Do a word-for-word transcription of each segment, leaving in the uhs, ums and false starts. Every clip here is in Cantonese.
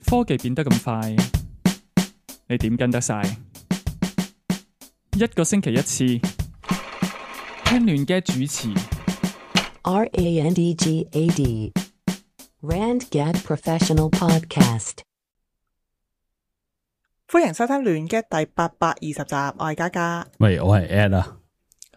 科技變得咁快，你點跟得晒？一個星期一次，聽亂嘅主持。R A N D G A D Randgad Professional Podcast。歡迎收聽亂嘅第八百二十集，我係嘉嘉。喂，我係 Ed 啊，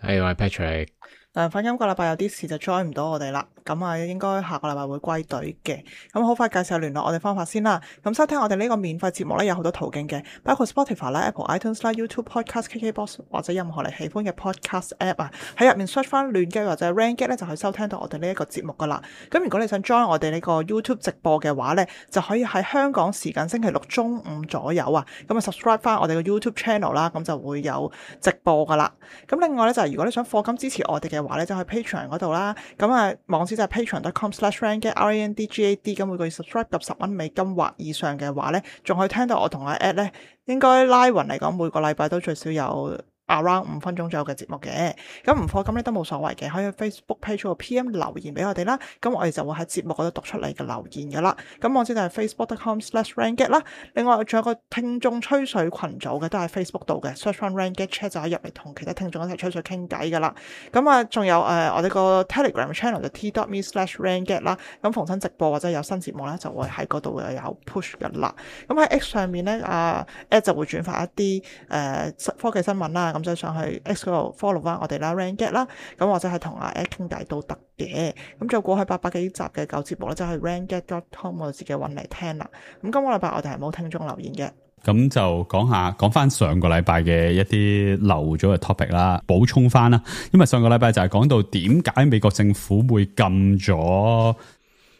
係我係 Patrick。誒，反今個禮拜有啲事就 join 唔到我哋啦，咁啊應該下個禮拜會歸隊嘅。咁好快介紹下聯絡我哋方法先啦。咁收聽我哋呢個免費節目咧有好多途徑嘅，包括 Spotify 啦、Apple iTunes 啦、YouTube Podcast、K K Box 或者任何你喜歡嘅 Podcast App 啊，喺入面 search 翻亂嘅或者 Randgad 咧就可以收聽到我哋呢一個節目噶啦。咁如果你想 join 我哋呢個 YouTube 直播嘅話咧，就可以喺香港時間星期六中午左右啊，咁啊 subscribe 翻我哋嘅 YouTube channel 啦，咁就會有直播噶啦。咁另外咧就係如果你想課金支持我哋嘅話咧，就去 Patreon 嗰度啦。咁啊網址就係 patreon dot com slash randgad R A N D G A D。咁每個月 subscribe 及十蚊美金或以上嘅話咧，仲可以聽到我同阿 Ed 咧，應該拉勻嚟講每個禮拜都最少有around 五分鐘左右嘅節目嘅。咁唔課金咧都冇所謂嘅，可以去 Facebook page 嗰度 P M 留言俾我哋啦。咁我哋就會喺節目嗰度讀出嚟嘅留言噶啦。咁網址就係 facebook dot com slash randgad 啦。另外仲有個聽眾吹水群組嘅，都係 Facebook 度嘅 search 翻 Randgad chat 就可以入嚟同其他聽眾一齊吹水傾偈噶啦。咁啊仲有誒、呃、我哋個 Telegram channel 就 t dot me slash randgad 啦。咁逢親直播或者有新節目咧，就會喺嗰度又有 push 噶啦。咁喺 X 上面咧，啊 Ed 就會轉發一啲誒、呃、科技新聞啦。咁就上去 X 嗰度 follow 翻我哋啦 Randgad 啦。咁或者係同阿 Ed 傾偈都得嘅。咁就過去八百幾集嘅舊節目咧，就係 randgad dot com 我自己揾嚟聽啦。咁今個禮拜我哋係冇聽眾留言嘅。咁就講下講翻上個禮拜嘅一啲漏咗嘅 topic 啦，補充翻啦。因為上個禮拜就係講到點解美國政府會禁咗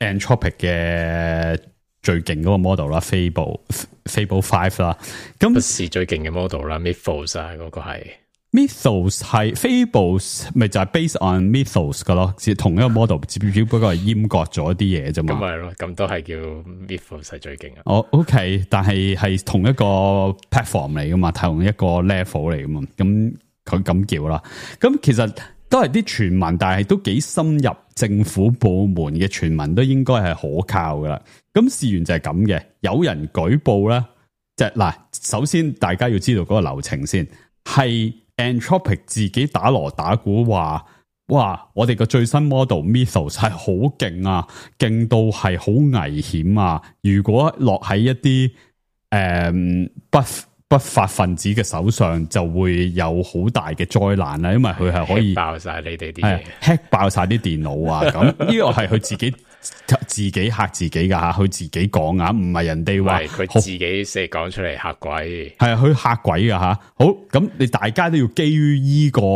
Anthropic 嘅最勁嗰個 model 啦 ，Fable Fable Five 啦。咁不是最勁嘅 model 啦 ，Mythos 啊，嗰個係 Mythos 係 Fables 咪就係 based on Mythos 噶咯，即係同一個 model，只只不過係閹割咗啲嘢啫嘛。咁咪咯，咁都係叫 Mythos 係最勁啊。哦、oh，OK， 但係係同一個 platform 嚟噶嘛，同一個 level 嚟噶嘛，咁佢咁叫啦。咁其實都係啲傳聞，但係都幾深入政府部門嘅傳聞，都應該係可靠噶啦。咁事緣就係咁嘅，有人舉報啦，即係嗱，首先大家要知道嗰個流程先，係 Anthropic 自己打鑼打鼓話，哇！我哋個最新 model Mythos 係好勁啊，勁到係好危險啊！如果落喺一啲誒、嗯、不不法分子嘅手上，就會有好大嘅災難啦。因為佢係可以爆晒你哋啲嘢，hack 爆晒啲電腦啊！咁呢個係佢自己自己嚇自己噶吓，佢自己講啊，唔係人哋話佢自己寫講出嚟嚇鬼，係啊，佢嚇鬼噶吓。好，咁你大家都要基於依、這個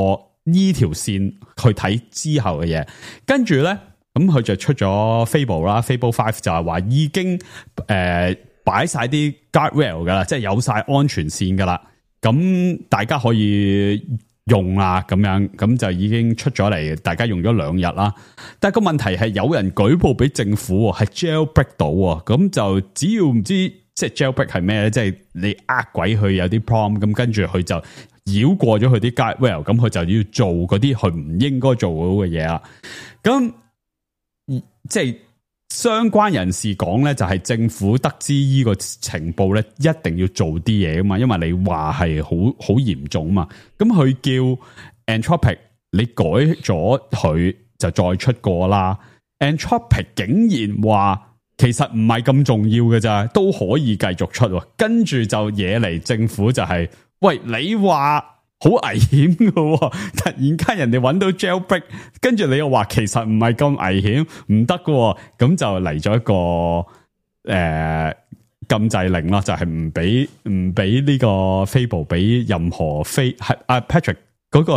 依條線去睇之後嘅嘢，跟住咧，咁佢就出咗 Fable 啦 ，Fable Five 就係話已經誒擺晒啲 guardrail 噶啦，即係有晒安全線噶啦，咁大家可以用啦，咁樣咁就已經出咗嚟，大家用咗兩日啦。但係個問題係有人舉報俾政府，係 jailbreak 到，咁就只要唔知即係 jailbreak 係咩咧，即係你呃鬼佢有啲 prompt，咁跟住佢就繞過咗佢啲 guardrail，咁佢就要做嗰啲佢唔應該做到嘅嘢啦。咁即係相關人士講咧，就係政府得知呢個情報咧，一定要做啲嘢啊嘛，因為你話係好好嚴重啊嘛。咁佢叫 Anthropic 你改咗佢就再出過啦。Anthropic 竟然話其實唔係咁重要嘅咋，都可以繼續出。跟住就惹嚟政府就係、是，喂，你話好危險㗎，突然間人哋揾到 jailbreak， 跟住你又話其實唔係咁危險，唔得㗎，咁就嚟咗一個誒、呃、禁制令啦，就係唔俾唔俾呢個 Fable 俾任何非係阿 Patrick 嗰、嗰個、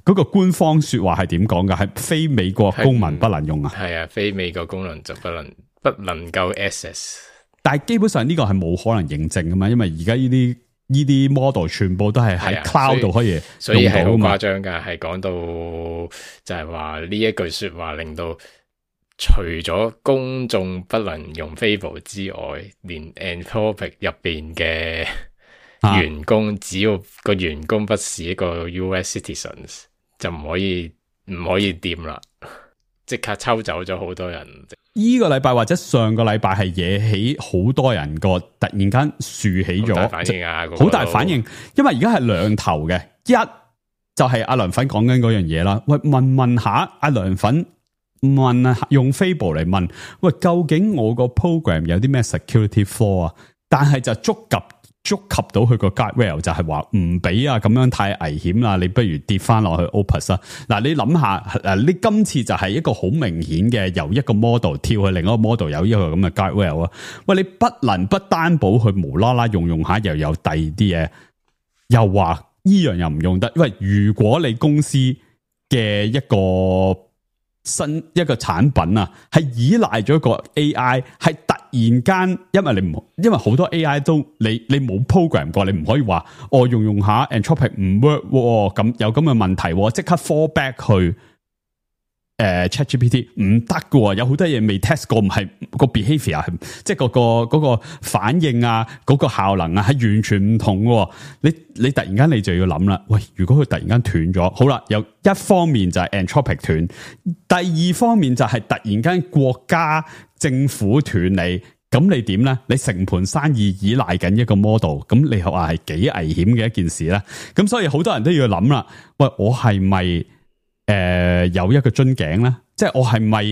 嗰個官方說話係點講㗎？係非美國公民不能用啊？係啊，非美國公民就不能不能夠 access。但係基本上呢個係冇可能認證㗎嘛，因為而家呢啲。呢啲 model 全部都係喺 cloud 度可以所以係好用到誇張噶，係講到就係話呢一句說話令到除咗公眾不能用 Fable 之外，連 Anthropic 入邊嘅員工，啊、只要個員工不是一個 U S citizens，就唔可以唔可以掂啦。即刻抽走咗好多人。依個禮拜或者上個禮拜係惹起好多人個突然間豎起咗，好大反應啊！好、那個、大反應，因為而家係兩頭嘅，一就係阿梁粉講緊嗰樣嘢啦。喂，問問下阿梁粉問啊，用 Fable 嚟問，喂，究竟我個 program 有啲咩 security flaw 啊？但係就觸及。觸及到佢個 guardrail 就係話唔俾啊，咁樣太危險啦，你不如跌翻落去 Opus 啦。嗱，你諗下，誒，你今次就係一個好明顯嘅，由一個 model 跳去另一個 model 有呢個咁嘅 guardrail 啊。喂，你不能不擔保佢無啦啦用用下又有第二啲嘢，又話依樣又唔用得。因為如果你公司嘅一個新一個產品啊，係依賴咗個 A I， 係突然間，因為你唔，因為好多 A I 都你你冇 program 過，你唔可以話我、哦、用用下 Anthropic 唔 work 咁有咁嘅問題，即刻 fall back 去誒、呃、ChatGPT 唔得㗎，有好多嘢未 test 過，唔係個 behavior 係即係嗰個嗰、嗰個反應啊，嗰、嗰個效能啊係完全唔同嘅。你你突然間你就要諗啦，喂，如果佢突然間斷咗，好啦，有一方面就係 Anthropic 斷，第二方面就係突然間國家政府斷你，咁你點咧？你成盤生意依賴緊一個 model， 咁你話係幾危險嘅一件事咧？咁所以好多人都要諗啦，喂，我係咪誒有一個樽頸咧？即係我係咪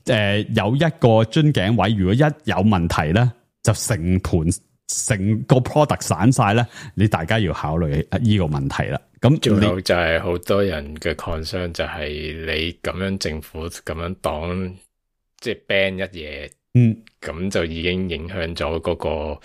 誒有一個樽頸位？如果一有問題咧，就成盤成個 product 散晒咧，你大家要考慮呢個問題啦。咁仲有就係好多人嘅 concern 就係你咁樣政府咁樣擋，即係 ban 一嘢，嗯，咁就已經影響咗嗰個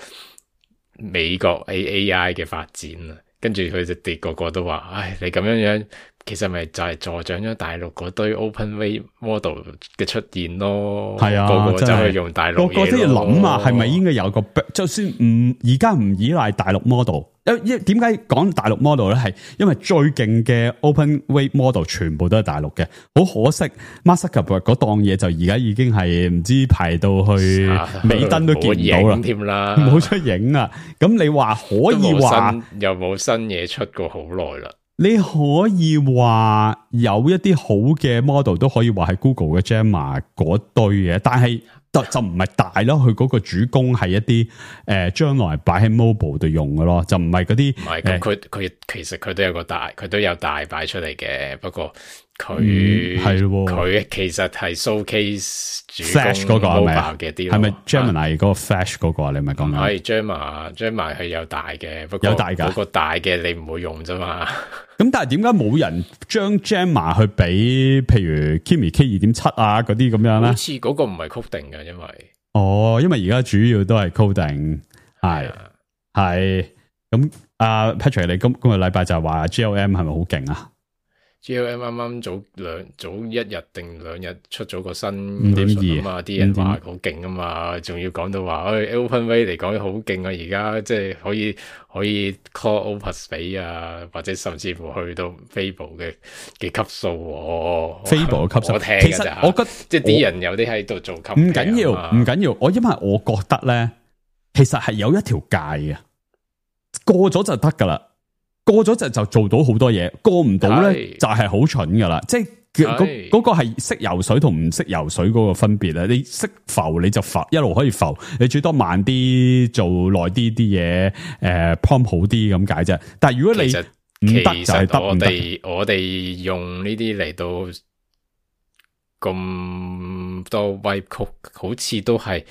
美國 A I 嘅發展啦。跟住佢就哋個個都話，唉，你咁樣樣，其實咪就係助長咗大陸嗰堆 OpenWay model 嘅出現咯。係啊，個個就去用大陸嘢咯。個個都要諗啊，係咪應該有個，就算唔而家唔依賴大陸 model。因點解講大陸 model 咧？係因為最勁嘅 OpenWay model 全部都係大陸嘅，好可惜 Mark Zuckerberg 嗰檔嘢就而家已經係唔知排到去尾燈都見唔到啦，添啦，冇出影啊！咁你話可以話又冇新嘢出過好耐啦。你可以話有一啲好嘅 model 都可以話係 Google 嘅 Gemma 嗰堆嘅，但係就就唔係大咯。佢嗰個主攻係一啲誒將來擺喺 mobile 度用嘅咯，就唔係嗰啲。唔係咁，佢佢其實佢都有個大，佢都有大擺出嚟嘅。不過佢係佢其實係 showcase 主 Flash 嗰個係咪啊？嘅啲係咪 Gemini 嗰個 Flash 嗰個啊？你咪講緊？係 Gemma Gemma 係有大嘅，不過有大㗎。嗰個大嘅你唔會用啫嘛。咁但係點解冇人將 Gemma 去俾譬如 Kimi K 二點七啊嗰啲咁樣咧？好似嗰個唔係 coding 嘅，因為哦，因為而家主要都係 coding， 係係咁。阿 Patrick，你今今個禮拜就係話 G L M 係咪好勁啊？ G L M 啱啱早兩早一日定兩日出咗個新五點二啊嘛，啲人話好勁啊嘛，仲要講到話，誒 OpenWay 嚟講好勁啊，而家即係可以可以 call Opus 俾啊，或者甚至乎去到 Fable 嘅嘅級數，Fable 嘅級數，我聽其實我覺得即係啲人有啲喺度做級，唔緊要，唔緊要，我因為我覺得咧，其實係有一條界嘅，過咗就得噶啦。過咗就就做到好多嘢，過唔到咧就係好蠢噶啦。即係嗰嗰個係識游水同唔識游水嗰個分別啦。你識浮你就浮，一路可以浮。你最多慢啲做耐啲啲嘢，誒 prompt 好啲咁解啫。但係如果你唔得就係得唔得。我哋我哋用呢啲嚟到咁多 wipe code，好似都係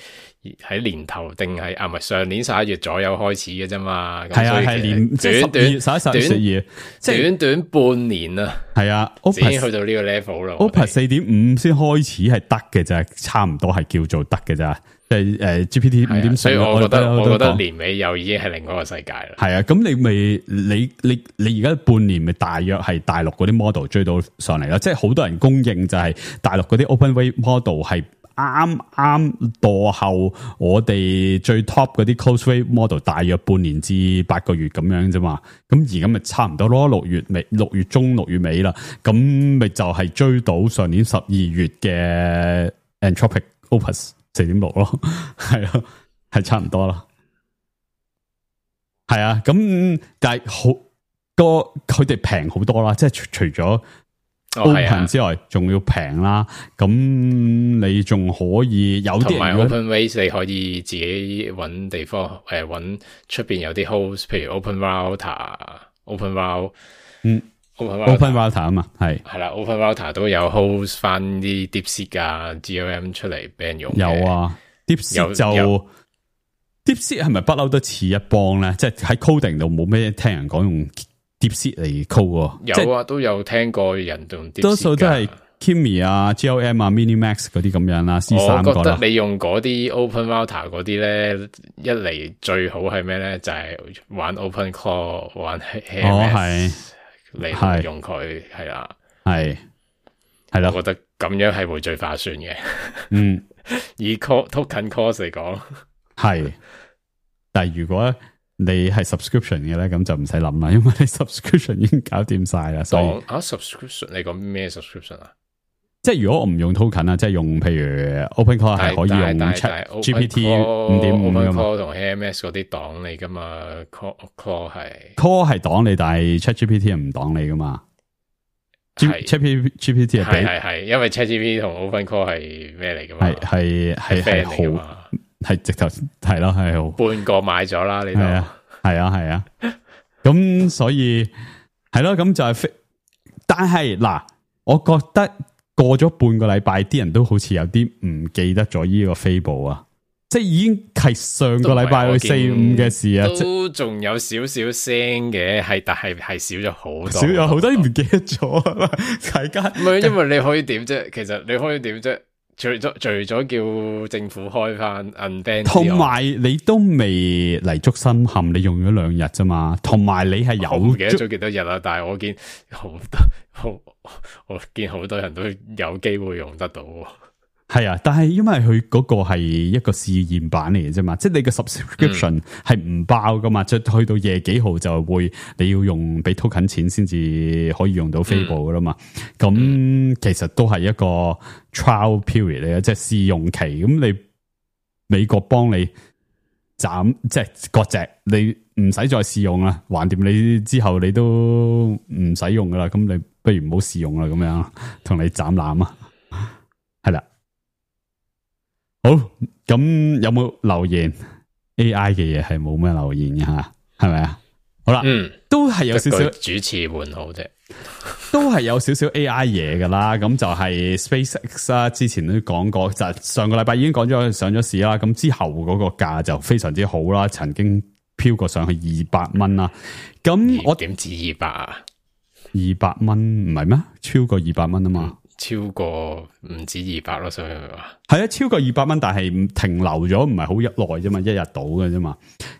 喺年頭定係啊？唔係上年十一月左右開始嘅啫嘛。係啊，係年短短十一十二，即係短短半年啊。係啊，已經去到呢個 level 啦。Opus 四點五先開始係得嘅咋，差唔多係叫做得嘅咋。即係誒 G P T 五點四，所以我覺得我覺得年尾又已經係另外一個世界啦。係啊，咁你咪你你你而家半年咪大約係大陸嗰啲 model 追到上嚟啦。即係好多人公認就係大陸嗰啲 OpenWay model 係啱啱墮後我哋最 top 嗰啲 Closeway model 大約半年至八個月咁樣啫嘛。咁而家咪差唔多咯，六月尾、六月中、六月尾啦。咁咪就係追到上年十二月嘅 Anthropic Opus四點六咯，係啊，係差唔多咯，係啊，咁但係好個佢哋平好多啦，即係除除咗 open 之外，仲、哦、要平啦。咁你仲可以有啲同埋 OpenWays 你可以自己揾地方誒揾出邊有啲 host， 譬如 OpenRouter、OpenRoute， 嗯 ，OpenRouter 啊嘛，係係啦 ，OpenRouter 都有 host 翻啲 DeepSeek 啊、G L M 出嚟俾人用。有啊 ，DeepSeek 就 DeepSeek 係咪不嬲都似一幫咧？即係喺 coding 度冇咩聽人講用 DeepSeek 嚟 code 喎。有啊，都有聽過人用 DeepSeek，多數都係 Kimi 啊、G L M 啊、Minimax 嗰啲咁樣啦。C 三我覺得你用嗰啲 OpenRouter 嗰啲咧，一嚟最好係咩咧？就係、是、玩 OpenClaw 玩 H M S 嚟用佢係啦，係係啦。我覺得咁樣係會最划算嘅。嗯，以 call token cost 嚟講。係，但係如果你係 subscription 嘅咧，咁就唔使諗啦，因為你 subscription 已經搞掂晒啦。所以啊 subscription 你講咩 subscription 啊？即係如果我唔用 token 啊，即係用譬如 OpenClaw 係可以用 Chat G P T 五點五噶嘛 ？OpenClaw 同 A M S 嗰啲擋你噶嘛 ？Call Call 係 Call 係擋你，但係 Chat G P T 係唔擋你噶嘛？Chat G P T 係係係係，因為 Chat G P T 同 OpenClaw 係咩嚟噶嘛？係係係係好。係直頭係咯，係好半個買咗啦，你都係啊，係啊，係啊，咁所以係咯，咁就係、是，但係嗱，我覺得過咗半個禮拜，啲人都好似有啲唔記得咗呢個 Fable 啊，即係已經係上個禮拜去四五嘅事啊，都仲有少少聲嘅，係但係係少咗好多，少咗好多，唔記得咗，大家唔係因為你可以點啫？其實你可以點啫？除咗除咗叫政府開翻 unban， 同埋你都未嚟足深陷，你用咗兩日啫嘛。同埋你係有唔記得咗幾多日啦，但係我見好多好，我見好多人都有機會用得到。係啊，但係因為佢嗰個係一個試驗版嚟嘅啫嘛，即係你個 subscription 係唔爆噶嘛，即係去到夜幾號就會你要用俾 token 錢先至可以用到 Fable 噶啦嘛。咁、嗯、其實都係一個 trial period 嚟嘅，即係試用期。咁你美國幫你斬即係割席，你唔使再試用啦，橫掂你之後你都唔使用噶啦。咁你不如唔好試用啦，咁樣同你斬纜啊，係啦。好，咁有冇留言 A I 嘅嘢係冇咩留言嘅吓，係咪啊？好啦，嗯，都係有少少主持換好啫，都係有少少 A I 嘢噶啦。咁就係 SpaceX 啦，之前都講過，就係上個禮拜已經講咗上咗市啦。咁之後嗰個價就非常之好啦，曾經飄過上去二百蚊啦。咁我點止二百啊？二百蚊唔係咩？超過二百蚊啊嘛。嗯超過唔止二百咯，所以話係啊，超過二百蚊，但係停留咗唔係好一耐啫嘛，一日到嘅啫嘛。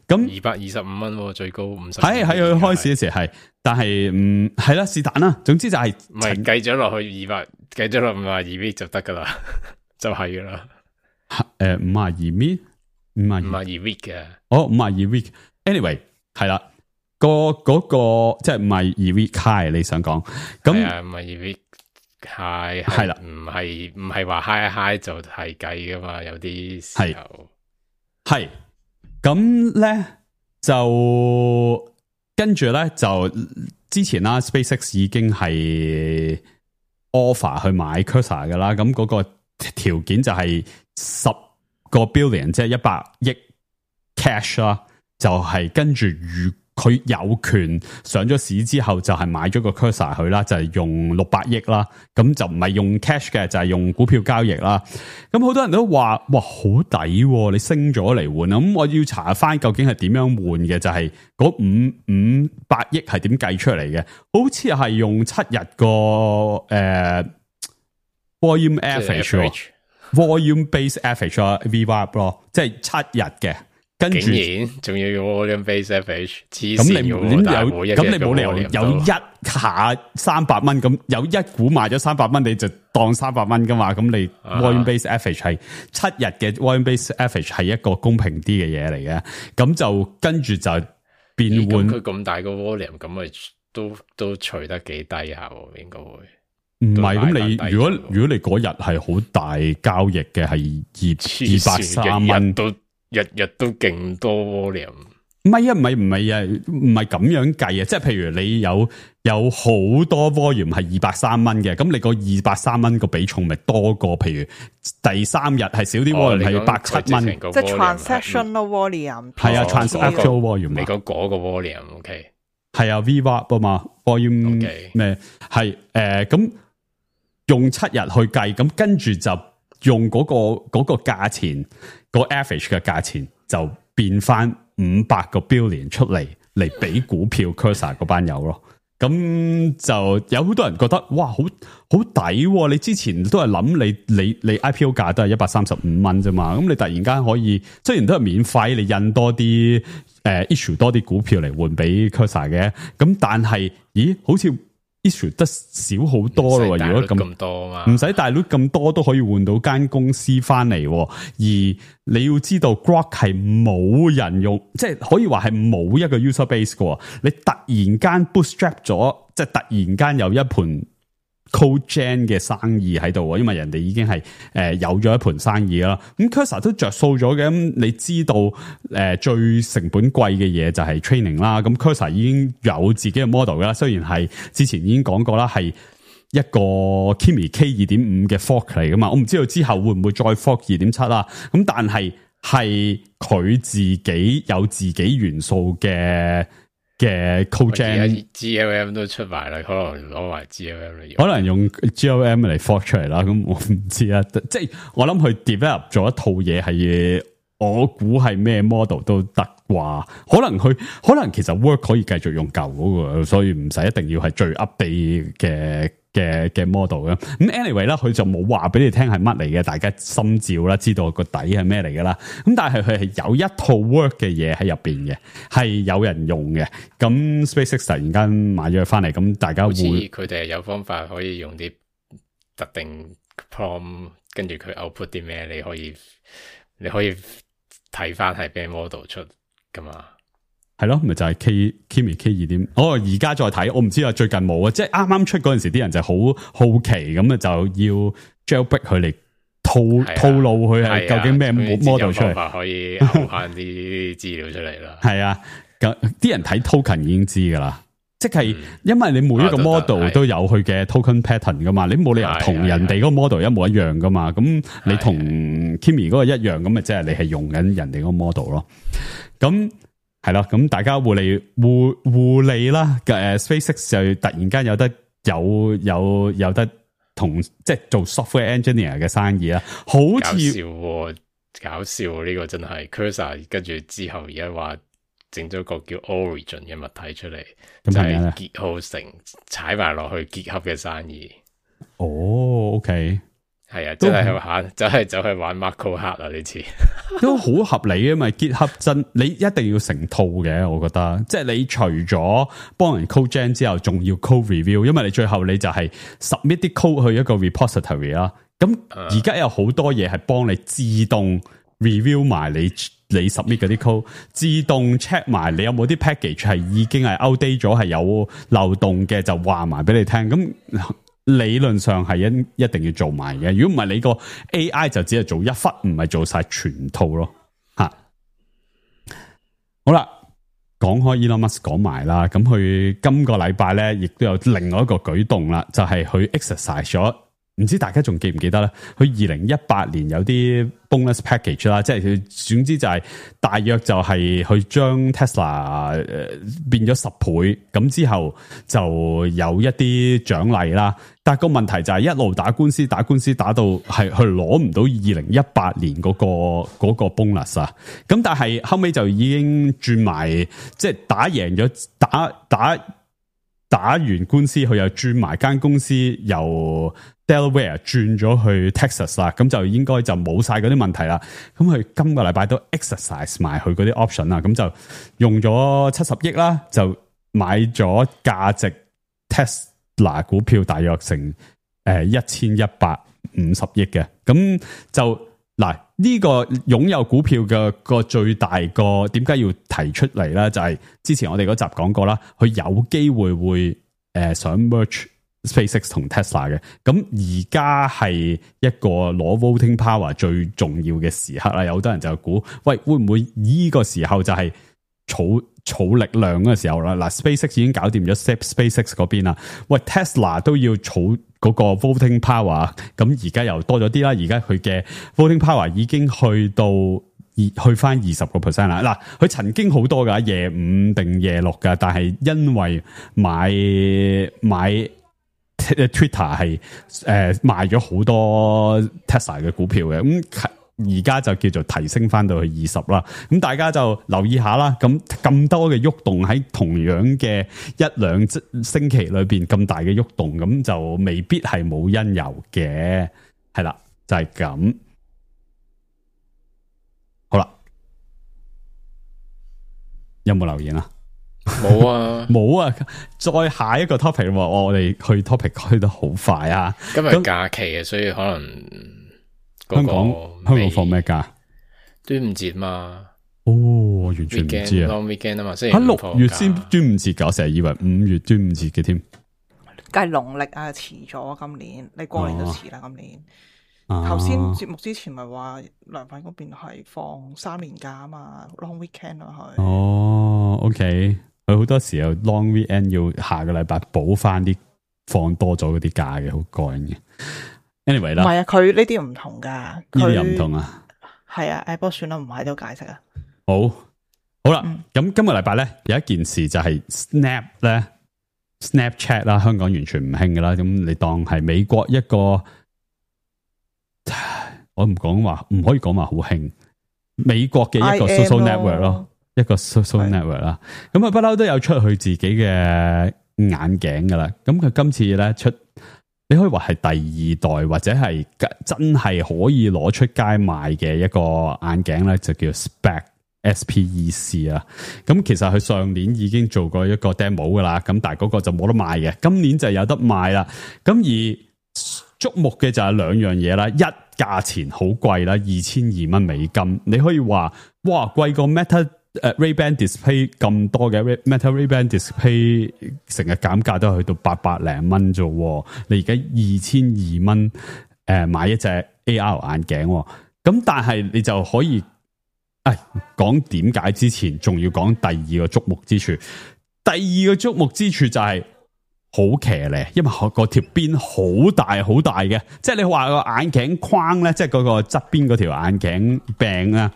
咁二百二十五蚊最高五十，喺喺佢開始嘅時係，但係唔係啦，是但啦。總之就係唔係計咗落去二百，計咗落五廿二 V 就得噶啦，就係噶啦。誒，五廿二 V，五廿五廿二 V 嘅，哦，五廿二 V。Anyway， 係啦，個嗰個即係五廿二 V high，你想講咁五廿二 V。係係啦，唔係唔係話 high high 就係計噶嘛，有啲時候係咁咧就跟住咧就之前啦 ，SpaceX 已經係 offer 去買 Cursor 噶啦，咁嗰個條件就係十個 billion， 即係一百億 cash 啦，就係跟住如。佢有權上咗市之後就係買咗個 Cursor 去啦，就係用六百億啦，咁就唔係用 cash 嘅，就係用股票交易啦。咁好多人都話哇好抵，你升咗嚟換啊！咁我要查翻究竟係點樣換嘅，就係嗰五五百億係點計出嚟嘅？好似係用七日個誒、呃、volume average，volume base average 啊 V W A P 咯，即係七日嘅。跟住，仲要用 volume base average，黐咁你線有咁你冇理由有一下三百蚊，咁有一股買咗三百蚊，你就當三百蚊噶嘛？咁你 volume base average 係七日嘅 volume base average 係一個公平啲嘅嘢嚟嘅，咁就跟住就變換。佢咁大個 volume， 咁咪都都除得幾低下，應該會。唔係咁，你如果如果你嗰日係好大交易嘅，係二二百三蚊都。日日都勁多 volume，唔係啊，唔係唔係啊，唔係咁樣計啊！即係譬如你有有好多 volume 係二百三蚊嘅，咁你個二百三蚊個比重咪多過譬如第三日係少啲 volume 係百七蚊，即係 transactional volume。係啊 ，transactional volume。你講嗰個 volume，OK。係啊 ，V W A P 啊嘛 ，volume 咩係誒咁用七日去計，咁跟住就用嗰、嗰個嗰、嗰個價錢，個 average 嘅價錢就變翻五百個 billion 出嚟嚟俾股票 Cursor 嗰班友咯。咁就有好多人覺得哇，好好抵、啊！你之前都係諗你你你 I P O 價都係一百三十五蚊啫嘛，咁你突然間可以，雖然都係免費，你印多啲誒、呃、issue 多啲股票嚟換俾 Cursor 嘅，咁但係，咦，好似 issue 得少好多咯，如果咁多嘛，唔使大 loot 咁多都可以換到間公司翻嚟，而你要知道 Grok 係冇人用，即係可以話係冇一個 user base 嘅，你突然間 bootstrap 咗，即係突然間有一盤 code gen 嘅生意喺度，因為人哋已經係誒、呃、有咗一盤生意啦。咁 Cursor 都着數咗嘅，咁你知道誒、呃、最成本貴嘅嘢就係 training 啦。咁 Cursor 已經有自己嘅 model 啦，雖然係之前已經講過啦，係一個 Kimi K 二點五 嘅 fork 嚟噶嘛。我唔知道之後會唔會再 fork 二點七啦。咁但係係佢自己有自己元素嘅。嘅 code gen G L M 都出埋啦，可能攞埋 G L M 嚟用，可能用 G L M 嚟 fork 出嚟啦。咁我唔知啊，即係我諗佢 develop 咗一套嘢係，我估係咩 model 都得啩。可能佢可能其實 work 可以繼續用舊嗰個，所以唔使一定要係最 update 嘅嘅嘅 model 嘅。咁 anyway 啦，佢就冇話俾你聽係乜嚟嘅，大家心照啦，知道個底係咩嚟噶啦。咁但係佢係有一套 work 嘅嘢喺入邊嘅，係有人用嘅。咁 SpaceX 突然間買咗佢翻嚟，咁大家會佢哋係有方法可以用啲特定 prompt， 跟住佢 output 啲咩，你可以你可以睇翻係咩 model 出噶嘛。係咯，咪就係、是、K Kimi K 二點。哦，而家再睇，我唔知啊，最近冇啊，即係啱啱出嗰陣時，啲人就好好奇咁啊，就要 jailbreak 佢嚟套套路佢係究竟咩 model 出嚟，可以嘔翻啲資料出嚟啦。係啊，咁啲人睇 token 已經知噶啦，即係因為你每一個 model 都有佢嘅 token pattern 噶嘛，你冇理由同人哋嗰個 model 一模一樣噶嘛，咁你同 Kimi 嗰個一樣，咁咪即係你係用緊人哋嗰個 model 咯，咁。係啦，咁大家互利互互利啦。誒 ，SpaceX 就突然間有得有有有得同即係做 software engineer 嘅生意啦，好似搞笑，搞笑呢個真係 Cursor， 跟住之後而家話整咗個叫 Origin 嘅物體出嚟，就係結合成踩埋落去結合嘅生意。哦 ，OK。係啊，真係去玩，就係就係玩 Marco 黑啊！呢次都好合理嘅，咪結合真，你一定要成套嘅，我覺得。即係你除咗幫人 code gen 之後，仲要 code review，因為你最後你就係 submit 啲 code 去一個 repository 啦。咁而家有好多嘢係幫你自動 review 埋你你 submit 嗰啲 code， 自動 check 埋你有冇啲 package 係已經係 outdate 咗，係有漏洞嘅，就話埋俾你聽。咁理論上係一一定要做埋嘅，如果唔係你個 A I 就只係做一忽，唔係做晒全套咯。吓，好啦，講開 Elon Musk 講埋啦，咁佢今個禮拜咧，亦都有另外一個舉動啦，就係佢 exercise 咗，唔知大家仲記唔記得咧？佢二零一八年有啲 bonus package 啦，即係佢總之就係大約就係去將 Tesla 誒變咗十倍，咁之後就有一啲獎勵啦。但係個問題就係一路打官司，打官司打到係佢攞唔到二零一八年嗰個嗰個 bonus 啊。咁但係後尾就已經轉埋，即係打贏咗，打打打完官司，佢又轉埋間公司由 Delaware 轉咗去 Texas 啦，咁就應該就冇晒嗰啲問題啦。咁佢今個禮拜都 exercise 埋佢嗰啲 option 啦，咁就用咗七十億啦，就買咗價值 Tesla 股票大約成誒一千一百五十億嘅。咁就嗱呢個擁有股票嘅個最大個點解要提出嚟咧？就係之前我哋嗰集講過啦，佢有機會會誒想 merge SpaceX 同 Tesla 嘅，咁而家係一個攞 voting power 最重要嘅時刻啦。有好多人就估，喂，會唔會呢個時候就係儲儲力量嗰個時候啦。嗱 ，SpaceX 已經搞掂咗 SpaceX 嗰邊啦。喂 ，Tesla 都要儲嗰個 voting power，咁而家又多咗啲啦。而家佢嘅 voting power 已經去到二去翻二十個 percent 啦。嗱，佢曾經好多噶，夜五定夜六噶，但係因為買買 Twitter 係誒、呃、賣咗好多 Tesla 嘅股票嘅，咁而家就叫做提升翻到去二十啦。咁大家就留意下啦。咁咁多嘅喐動喺同樣嘅一兩星期裏邊咁大嘅喐動，咁就未必係冇因由嘅。係啦，就係、是、咁。好啦，有冇留言啊？冇啊，冇啊！再下一個 topic， 我哋去 topic 去得好快啊！今日假期啊，所以可能、那個、香港香港放咩假？端午節嘛？哦，我完全唔知啊 ！Long weekend 啊嘛，星期喺六五月先端午節㗎，我成日以為五月端午節嘅添。梗係農曆啊，遲咗今年，你過年都遲啦，今年。頭先啊節目之前咪話梁粉嗰邊係放三年假啊嘛 ，long weekend 啊佢。哦 ，OK，佢好多時候 long weekend 要下個禮拜補翻啲放多咗嗰啲假嘅，好過癮嘅。anyway 啦，唔係啊，佢呢啲唔同噶，呢啲又唔同啊。係啊，誒，不過算啦，唔喺度解釋啊。好，好啦，咁、嗯、今個禮拜咧有一件事就係 Snap 咧 ，Snapchat 啦，香港完全唔興噶啦，咁你當係美國一個。我唔講話，唔可以講話好興。美國嘅一個 social network 咯，一個 social network 啦。咁啊，不嬲都有出佢自己嘅眼鏡噶啦。咁佢今次咧出，你可以話係第二代或者係真係可以攞出街賣嘅一個眼鏡咧，就叫 Spec S P E C 啊。咁其實佢上年已經做過一個 demo 噶啦，咁但係嗰個就冇得賣嘅。今年就有得賣啦。咁而矚目嘅就係兩樣嘢啦，一價錢好貴啦，二千二蚊美金，你可以話哇貴過 Meta 誒、uh, Ray-Ban Display 咁多嘅 Meta Ray-Ban Display 成日減價都去到八百零蚊啫，你而家二千二蚊誒買一隻 A R 眼鏡，咁但係你就可以誒講點解之前仲要講第二個矚目之處，第二個矚目之處就係、是。好騎咧，因為個條邊好大好大嘅，即係你話個眼鏡框咧，即係嗰個側邊嗰條眼鏡柄啊，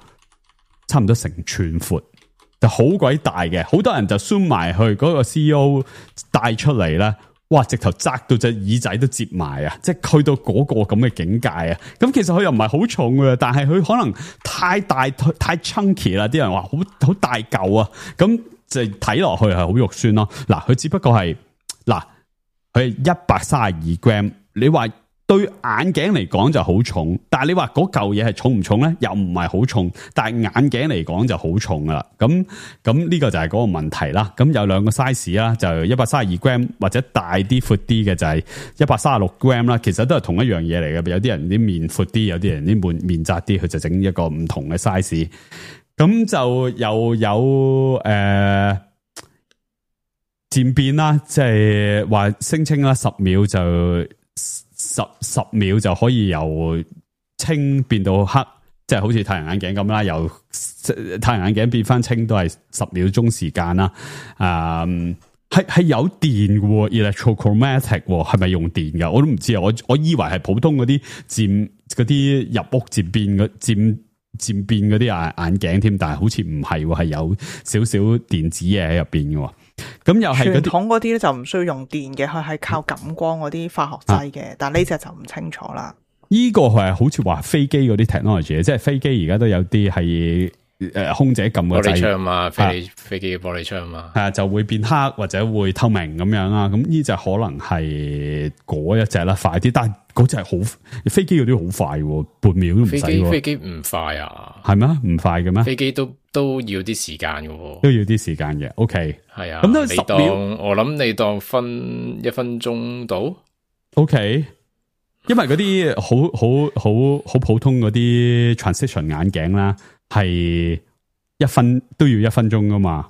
差唔多成寸闊，就好鬼大嘅。好多人就 zoom 埋去嗰個 C E O 帶出嚟啦，哇！直頭扎到隻耳仔都折埋啊！即係去到嗰個咁嘅境界啊！咁其實佢又唔係好重嘅，但係佢可能太大太 chunky 啦，啲人話好好大嚿啊，咁就睇落去係好肉酸咯。嗱，佢只不過係。嗱，佢係一百三十二 gram， 你話對眼鏡嚟講就好重，但係你話嗰嚿嘢係重唔重咧？又唔係好重，但係眼鏡嚟講就好重噶啦。咁咁呢個就係嗰個問題啦。咁有兩個 size 啦，就一百三十二 gram 或者大啲闊啲嘅就係一百三十六 gram 啦。其實都係同一樣嘢嚟嘅。有啲人啲面闊啲，有啲人啲面面窄啲，佢就整一個唔同嘅 size。咁就又有誒。呃漸變啦，即係話聲稱啦，十秒就十十秒就可以由清變到黑，即係好似太陽眼鏡咁啦，由太陽眼鏡變翻清都係十秒鐘時間啦。啊、嗯，係係有電嘅 ，electrochromatic 係咪用電噶？我都唔知啊，我我以為係普通嗰啲漸嗰啲入屋漸變嘅漸漸變嗰啲眼眼鏡添，但係好似唔係，係有少少電子嘢喺入邊嘅。咁又係傳統嗰啲咧就唔需要用電嘅，佢係靠感光嗰啲化學劑嘅，啊、但係呢隻就唔清楚啦。呢個係好似話飛機嗰啲 technology，即係飛機而家都有啲係誒空姐撳個掣，玻璃窗嘛，飛、啊、飛機嘅玻璃窗嘛，係啊就會變黑或者會透明咁樣啦。咁呢隻可能係嗰一隻啦，快啲，但係嗰隻好飛機嗰啲好快，半秒都唔使。飛機飛機唔快啊？係咩？唔快嘅咩？飛機都。都要啲時間嘅喎，都要啲時間嘅。OK，係啊。咁都十秒，我諗你當分一分鐘到。OK，因為嗰啲好好好好普通嗰啲 transition 眼鏡啦，係一分都要一分鐘噶嘛。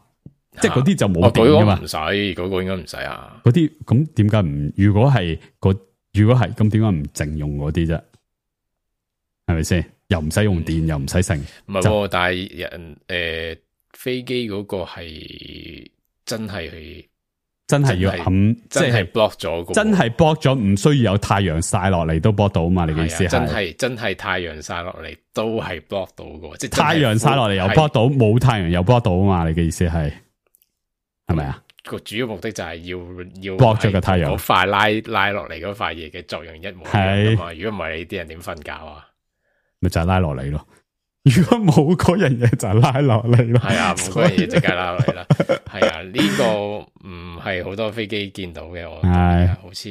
即係嗰啲就冇電噶嘛。唔使，嗰個應該唔使啊。嗰啲咁點解唔？如果係個如果係咁，點解唔淨用嗰啲啫？係咪先？又唔使用電，嗯、又唔使剩，唔係，但係人誒飛機嗰個係真係真係要冚，即係 block 咗，真係 block 咗，唔需要有太陽曬落嚟都 block 到嘛？你嘅意思係真係真係太陽曬落嚟都係 block 到嘅，即係太陽曬落嚟又 block 到，冇太陽又 block 到啊嘛？你嘅意思係係咪啊？個主要目的就係要要 block 咗個太陽，嗰塊拉拉落嚟嗰塊嘢嘅作用一模一樣嘛。如果唔係，你啲人點瞓覺啊？咪就係拉落嚟咯。如果冇嗰樣嘢就拉落嚟咯，係啊，冇嗰樣嘢即刻拉落嚟啦。係啊，呢、這個唔係好多飛機見到嘅，我係好似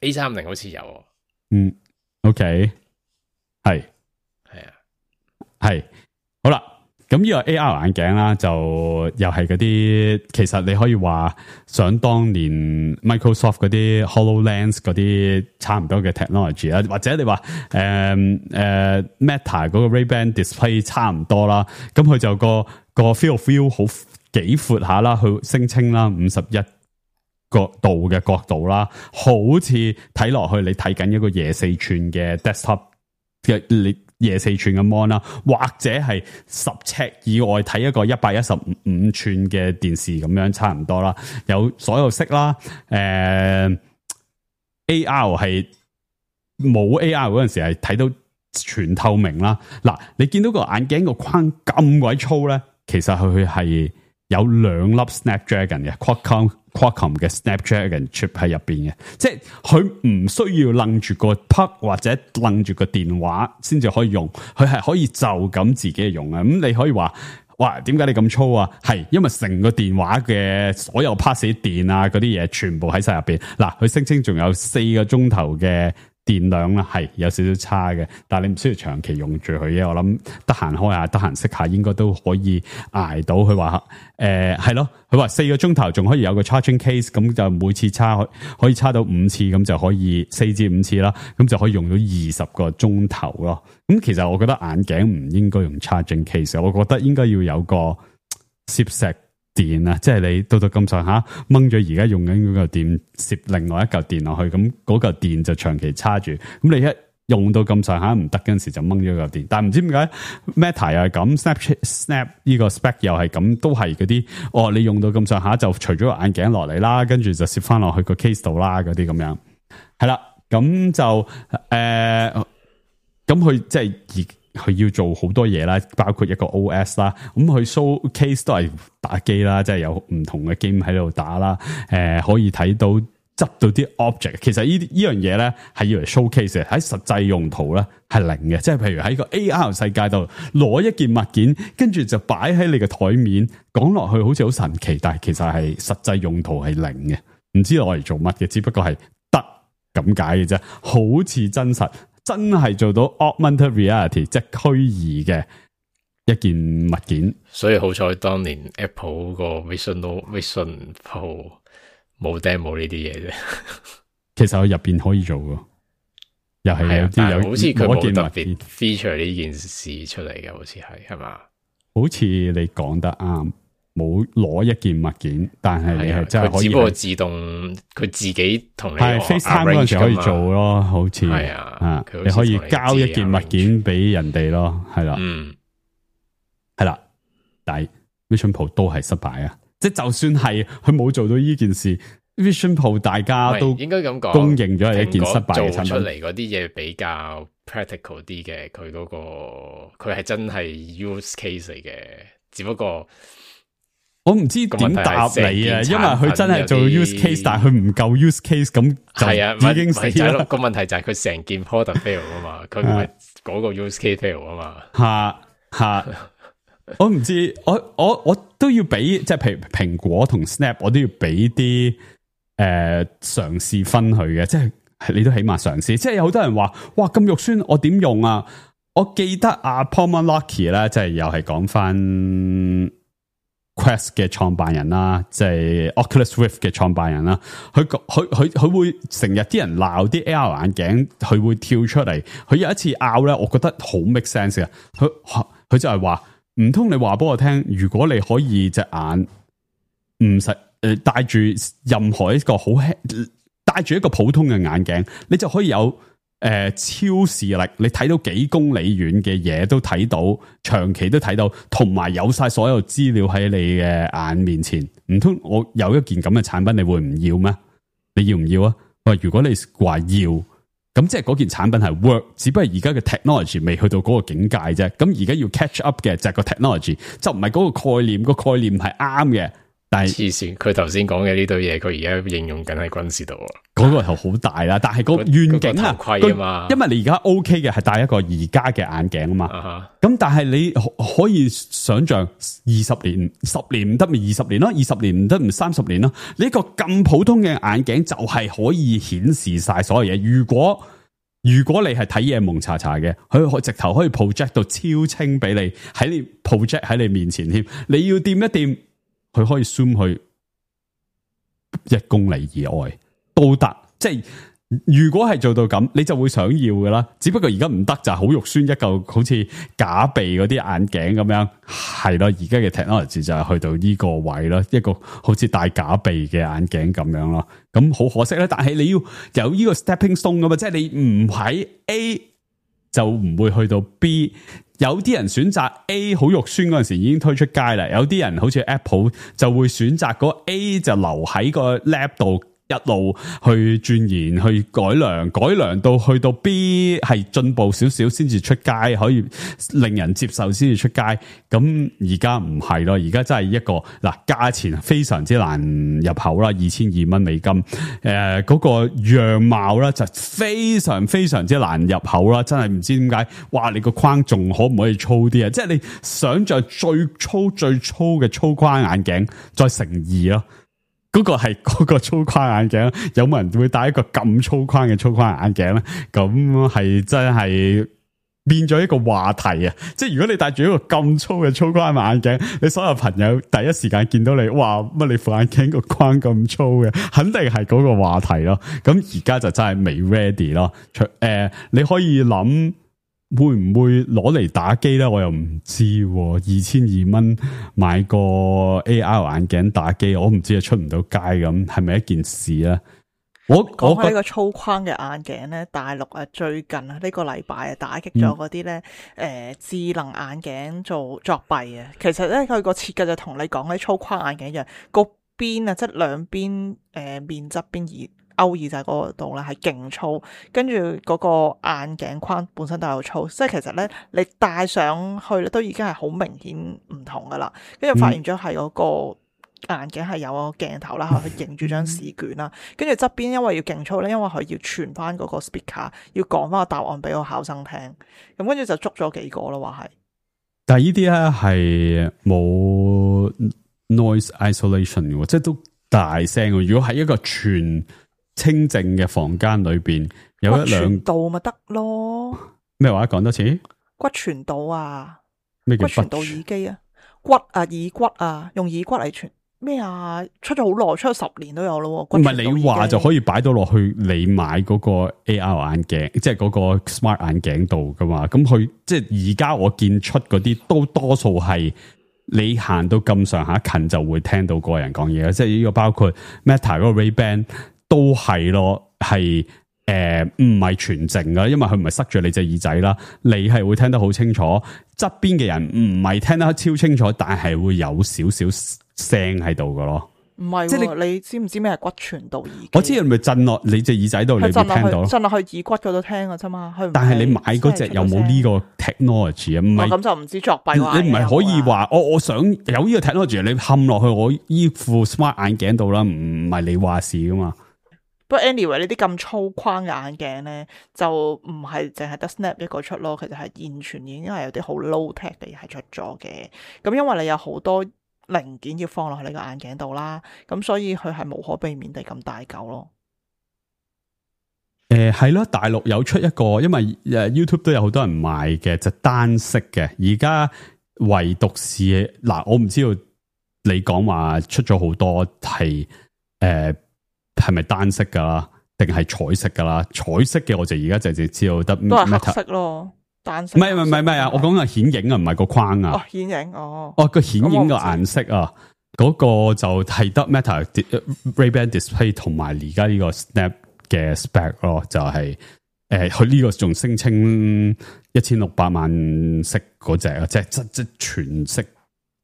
A 三零好似有，嗯 ，OK， 係係啊，係好啦。咁呢個 A R 眼鏡啦，就又係嗰啲，其實你可以話想當年 Microsoft 嗰啲 HoloLens 嗰啲差唔多嘅 technology 啦，或者你話誒誒 Meta 嗰個 Ray-Ban display 差唔多啦，咁佢就個個 field of view 好幾闊下啦，佢聲稱啦五十一角度嘅角度啦，好似睇落去你睇緊一個廿四寸嘅 desktop 嘅你。廿四寸嘅 mon 啦，或者係十尺以外睇一個一百一十五寸嘅電視咁樣差唔多啦，有所有色啦，誒、呃、A R 係冇 A R 嗰陣時係睇到全透明啦。嗱，你見到個眼鏡個框咁鬼粗咧，其實佢係有兩粒 Snapdragon 嘅 Qualcomm Qualcomm 嘅 Snapdragon chip 喺入邊嘅，即係佢唔需要楞住個 plug 或者楞住個電話先至可以用，佢係可以就咁自己用啊。咁你可以話，哇，點解你咁粗啊？係因為成個電話嘅所有 pass 電啊嗰啲嘢全部喺晒入邊。嗱，佢聲稱仲有四個鐘頭嘅電量啦，係有少少差嘅，但係你唔需要長期用住佢嘅。我諗得閒開下，得閒熄下，應該都可以捱到。佢話誒係咯，佢話四個鐘頭仲可以有個 charging case，咁就每次叉可以叉到五次，咁就可以四至五次啦，咁就可以用到二十個鐘頭咯。咁其實我覺得眼鏡唔應該用 charging case， 我覺得應該要有個攝石電啊，即係你到到咁上下掹咗而家用緊嗰嚿電，攝另外一嚿電落去，咁嗰嚿電就長期叉住，咁你一用到咁上下唔得嗰陣時就掹咗嚿電。但係唔知點解 Meta 又係咁 ，Snap Snap 呢個 spec 又係咁，都係嗰啲哦，你用到咁上下就除咗個眼鏡落嚟啦，跟住就攝翻落去個 case 度啦，嗰啲咁樣係啦，咁就誒，咁佢即係而。佢要做好多嘢啦，包括一個 O S 啦，咁佢 showcase 都係打機啦，即係有唔同嘅 game 喺度打啦，誒、呃、可以睇到執到啲 object。其實呢呢樣嘢咧係要嚟 showcase 嘅，喺實際用途咧係零嘅，即係譬如喺個 A R 世界度攞一件物件，跟住就擺喺你嘅台面，講落去好似好神奇，但係其實係實際用途係零嘅，唔知攞嚟做乜嘅，只不過係得咁解嘅啫，好似真實。真係做到 augmented reality， 即係虛擬嘅一件物件。所以好彩當年 Apple 個 Vision Vision Pro 冇 demo 呢啲嘢啫。其實佢入邊可以做嘅，又係有啲有，好似佢冇特別 feature 呢件事出嚟嘅，好似係係嘛？好似你講得啱。冇攞一件物件，但係你係真係可以，只不過自動佢自己同你係 FaceTime 嗰陣時可以做咯，好似係啊，你可以交一件物件俾人哋咯，係啦，嗯，係啦，但係 Vision Pro 都係失敗啊！即係就算係佢冇做到呢件事 ，Vision Pro 大家都應該咁講，公認咗係一件失敗嘅產品。做出嚟嗰啲嘢比較 practical 啲嘅，佢嗰個佢係真係 use case 嚟嘅，只不過。我唔知點答你啊，因為佢真係做 use case，但係佢唔夠 use case，咁就已經死啦。個問題就係佢成件 product fail 啊嘛，佢唔係嗰個 use case fail 啊嘛。吓吓，我唔知，我我我都要俾，即係譬如蘋果同 Snap， 我都要俾啲誒嘗試分佢嘅，即係你都起碼嘗試。即係有好多人話，哇咁肉酸，我點用啊？我記得阿 Palmer Luckey 咧，即係又係講翻。Quest 嘅創辦人啦，即係 Oculus Rift 嘅創辦人啦，佢佢佢佢會成日啲人鬧啲 A R 眼鏡，佢會跳出嚟。佢有一次拗咧，我覺得好 make sense 嘅。佢佢就係話，唔通你話俾我聽，如果你可以隻眼唔使誒戴住任何一個好輕，戴住一個普通嘅眼鏡，你就可以有誒、呃、超視力，你睇到幾公里遠嘅嘢都睇到，長期都睇到，同埋有晒所有資料喺你嘅眼面前。唔通我有一件咁嘅產品，你會唔要咩？你要唔要啊？喂，如果你話要。咁即係嗰件產品係 work，只不過而家嘅 technology 未去到嗰個境界啫。咁而家要 catch up 嘅就係個 technology，就唔係嗰個概念。個概念係啱嘅，但係黐線。佢頭先講嘅呢堆嘢，佢而家應用緊喺軍事度啊。嗰個係好大啦，但係個願景啊，頭盔啊嘛。因為你而家 OK 嘅係戴一個而家嘅眼鏡啊嘛。咁、uh-huh. 但係你可以想象二十年、十年唔得咪二十年咯，二十年唔得咪三十年咯。呢個咁普通嘅眼鏡就係可以顯示晒所有嘢。如果如果你係睇嘢蒙查查嘅，佢可直頭可以 project 到超清俾你，喺你 project 喺你面前添。你要掂一掂，佢可以 zoom 去一公里以外都得。即係如果係做到咁，你就會想要噶啦。只不過而家唔得，就係好肉酸一嚿，好似假鼻嗰啲眼鏡咁樣。係咯，而家嘅 technology 就係去到呢個位咯，一個好似戴假鼻嘅眼鏡咁樣咯。咁好可惜咧，但係你要有呢個 stepping stone 噶嘛，即係你唔喺 A 就唔會去到 B。有啲人選擇 A 好肉酸嗰陣時已經推出街啦，有啲人好似 Apple 就會選擇嗰 A 就留喺個 lab 度。一路去鑽研去改良，改良到去到 B 係進步少少先至出街，可以令人接受先至出街。咁而家唔係咯，而家真係一個嗱，價錢非常之難入口啦，二千二蚊美金。誒、呃，嗰、那個樣貌咧就非常非常之難入口啦，真係唔知點解。哇，你個框仲可唔可以粗啲啊？即係你想象最粗最粗嘅粗框眼鏡再乘二咯。嗰、那個係嗰個粗框眼鏡，有冇人會戴一個咁粗框嘅粗框眼鏡咧？咁係真係變咗一個話題啊！即係如果你戴住一個咁粗嘅粗框眼鏡，你所有朋友第一時間見到你，哇！乜你副眼鏡個框咁粗嘅，肯定係嗰個話題咯。咁而家就真係未 ready 咯。誒、呃，你可以諗。會唔會攞嚟打機咧？我又唔知，二千二蚊買個 A R 眼鏡打機，我唔知係出唔到街咁，係咪一件事咧？我講起呢個粗框嘅眼鏡咧，大陸啊最近啊呢個禮拜啊打擊咗嗰啲咧誒智能眼鏡做作弊啊！其實咧佢個設計就同你講啲粗框眼鏡一樣，個邊啊即係兩邊誒面側邊而。勾耳仔嗰度咧係勁粗，跟住嗰個眼鏡框本身都有粗，即係其實咧你戴上去咧都已經係好明顯唔同噶啦。跟住發現咗係嗰個眼鏡係有個鏡頭啦，去影住張試卷啦。跟住側邊因為要勁粗咧，因為佢要傳翻嗰個 speaker， 要講翻個答案俾個考生聽。咁跟住就捉咗幾個咯，話係。但係呢啲咧係冇 noise isolation 嘅，即係都大聲。如果喺一個全清靜嘅房間裏邊有一兩骨傳導咪得咯？咩話？講多次？骨傳導啊？咩叫骨傳導耳機啊？骨啊耳骨啊，用耳骨嚟傳咩啊？出咗好耐，出咗十年都有咯。唔係你話就可以擺到落去你買嗰個 A R 眼鏡，即係嗰個 smart 眼鏡度噶嘛？咁佢即係而家我見出嗰啲都多數係你行到咁上下近就會聽到個人講嘢，即係呢個包括 Meta 嗰個 Ray-Ban。都係咯，係誒唔係全靜噶，因為佢唔係塞住你隻耳仔啦，你係會聽得好清楚。側邊嘅人唔係聽得超清楚，但係會有少少聲喺度噶咯。唔係，即係你你知唔知咩係骨傳導耳機？我知係咪震落你隻耳仔度，你會聽到咯。震落去耳骨嗰度聽噶啫嘛。但係你買嗰隻有冇呢個 technology 啊？唔係咁就唔知作弊。你唔係可以話我我想有呢個 technology，你冚落去我依副 smart 眼鏡度啦，唔係你話事噶嘛。不過 anyway 呢啲咁粗框嘅眼鏡咧，就唔係淨係得 Snap 一個出咯，其實係現存已經係有啲好 low tech 嘅嘢係出咗嘅。咁因為你有好多零件要放落去你個眼鏡度啦，咁所以佢係無可避免地咁大嚿咯。誒係咯，大陸有出一個，因為誒 YouTube 都有好多人賣嘅，就單色嘅。而家唯獨是嗱，我唔知道你講話出咗好多係誒。呃係咪單色噶啦，定係彩色噶啦？彩色嘅我就而家就只知道得都係黑色咯，單色。唔係唔係唔係啊！我講嘅顯影啊，唔係個框啊。哦，顯影哦。哦，個顯影嘅顏色啊，嗰、那個就係得 Meta Ray-Ban Display 同埋而家呢個 Snap 嘅 spec 咯，就係、是、誒，佢呢個仲聲稱一千六百萬色嗰隻啊，即係即即全色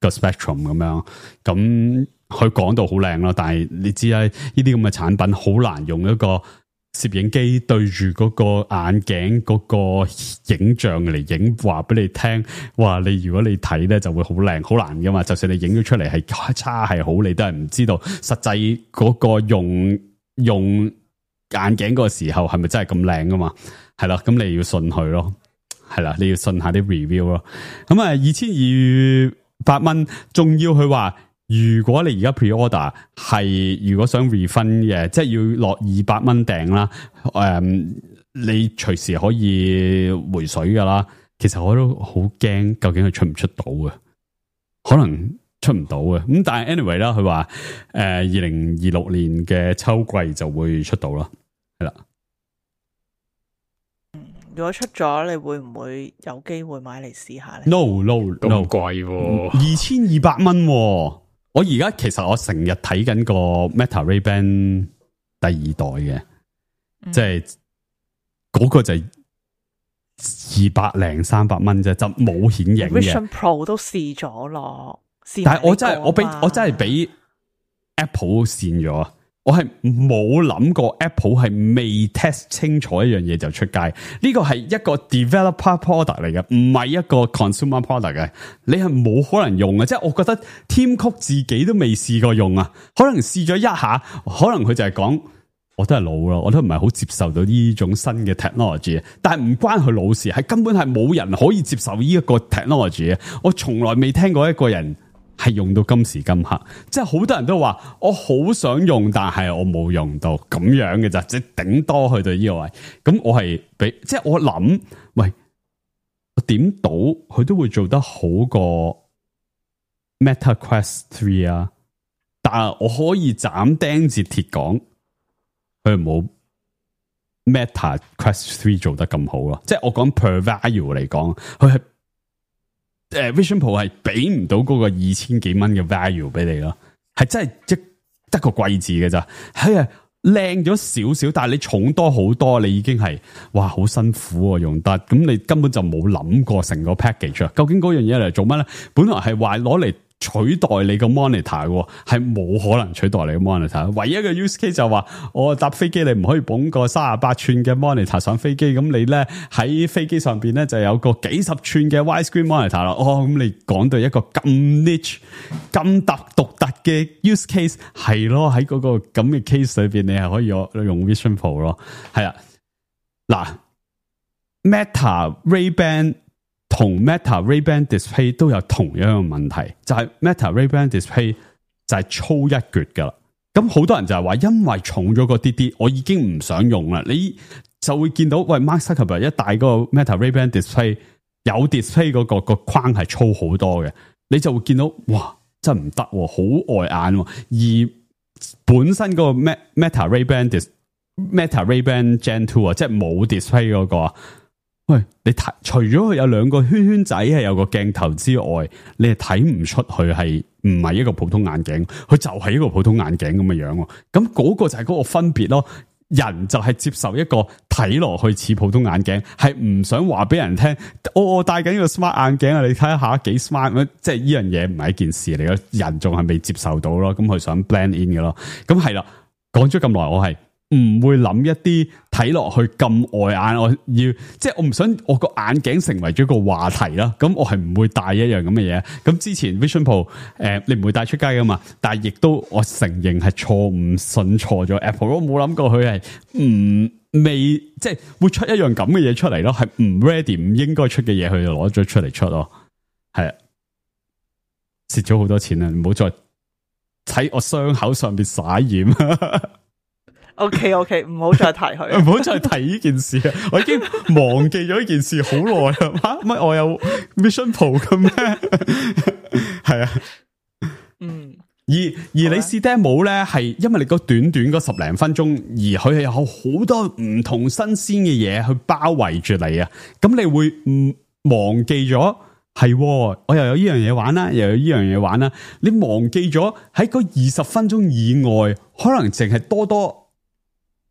個 spectrum 咁樣。咁佢講到好靚咯，但係你知啦，呢啲咁嘅產品好難用一個攝影機對住嗰個眼鏡嗰個影像嚟影，話俾你聽，話你如果你睇咧就會好靚，好難噶嘛。就算你影咗出嚟係差係好，你都係唔知道實際嗰個用用。眼鏡嗰個時候係咪真係咁靚噶嘛？係啦，咁你要信佢咯，係啦，你要信下啲 review 咯。咁啊，二千二百蚊，仲要佢話，如果你而家 pre order 係如果想 refund 嘅，即係要落二百蚊訂啦，誒、嗯，你隨時可以回水噶啦。其實我都好驚，究竟佢出唔出到嘅？可能出唔到嘅。咁但係 anyway 啦，佢話誒二零二六年嘅秋季就會出到啦。係啦，如果出咗，你會唔會有機會買嚟試下咧 ？No no no， 咁貴喎，二千二百蚊。我而家其實我成日睇緊個 Meta Ray-Ban 第二代嘅，即係嗰個就係二百零三百蚊啫，就冇顯影嘅。Vision Pro 都試咗咯，但係我真係我俾我真係俾 Apple 跣咗。我係冇諗過 Apple 係未 test 清楚一樣嘢就出街，呢個係一個 developer product 嚟嘅，唔係一個 consumer product 嘅。你係冇可能用嘅，即係我覺得 Tim Cook 自己都未試過用啊，可能試咗一下，可能佢就係講我都係老咯，我都唔係好接受到呢種新嘅 technology， 但係唔關佢老事，係根本係冇人可以接受呢一個 technology。我從來未聽過一個人係用到今時今刻，即係好多人都話我好想用，但係我冇用到咁樣嘅咋，即係頂多去到呢個位。咁我係俾，即係我諗，喂，我點到佢都會做得好過 Meta Quest three 啊？但係我可以斬釘截鐵講，佢冇 Meta Quest three 做得咁好咯。即係我講 per value 嚟講，佢係。誒、uh, ，Vision Pro 係俾唔到嗰個二千幾蚊嘅 value 俾你咯，係真係一得個貴字嘅咋，係啊，靚咗少少，但係你重多好多，你已經係哇好辛苦啊用得，咁你根本就冇諗過成個 package 啊，究竟嗰樣嘢嚟做乜咧？本來係話攞嚟取代你個 monitor 嘅，係冇可能取代你個 monitor。唯一嘅 use case 就話，我搭飛機你唔可以捧個三十八寸嘅 monitor 上飛機，咁你咧喺飛機上邊咧就有個幾十寸嘅 widescreen monitor 啦。哦，咁你講到一個咁 niche、咁特獨特嘅 use case 係咯，喺嗰個咁嘅 case 裏邊，你係可以用用 Vision Pro 咯。係啊，嗱 ，Meta Ray-Ban。同 Meta Ray-Ban Display 都有同樣嘅問題，就係、是、Meta Ray-Ban Display 就係粗一橛噶啦。咁好多人就係話，因為重咗個啲啲，我已經唔想用啦。你就會見到，喂 Mark Zuckerberg 一戴嗰個 Meta Ray-Ban Display 有 display 嗰、那個、那個框係粗好多嘅，你就會見到，哇，真係唔得，好礙眼。而本身嗰個 Meta Ray-Ban Dis Meta Ray-Ban Gen Two 啊，即係冇 display 嗰、那個。喂，你睇除咗佢有兩個圈圈仔係有個鏡頭之外，你係睇唔出佢係唔係一個普通眼鏡，佢就係一個普通眼鏡咁嘅樣。咁嗰個就係嗰個分別咯。人就係接受一個睇落去似普通眼鏡，係唔想話俾人聽，我我戴緊呢個 smart 眼鏡啊！你睇下幾 smart， 即係呢樣嘢唔係一件事嚟嘅。人仲係未接受到咯，咁佢想 blend in 嘅咯。咁係啦，講咗咁耐，我係。唔會諗一啲睇落去咁礙眼，我要即係我唔想我個眼鏡成為咗個話題啦。咁我係唔會戴一樣咁嘅嘢。咁之前 Vision Pro 誒、呃，你唔會帶出街噶嘛？但係亦都我承認係錯誤信錯咗 Apple。我冇諗過佢係唔未即係會出一樣咁嘅嘢出嚟咯，係唔 ready 唔應該出嘅嘢，佢就攞咗出嚟出咯。係啊，蝕咗好多錢啊！唔好再喺我傷口上邊灑鹽。O K O K， 唔好再提佢，唔好再提呢件事啊！我已經忘記咗呢件事好耐啦。乜我有 Vision Pro 嘅咩？係啊，嗯。而而你試 demo 咧，係因為你嗰短短嗰十零分鐘，而佢係有好多唔同新鮮嘅嘢去包圍住你啊！咁你會唔忘記咗？係，我又有呢樣嘢玩啦，又有呢樣嘢玩啦。你忘記咗喺嗰二十分鐘以外，可能淨係多多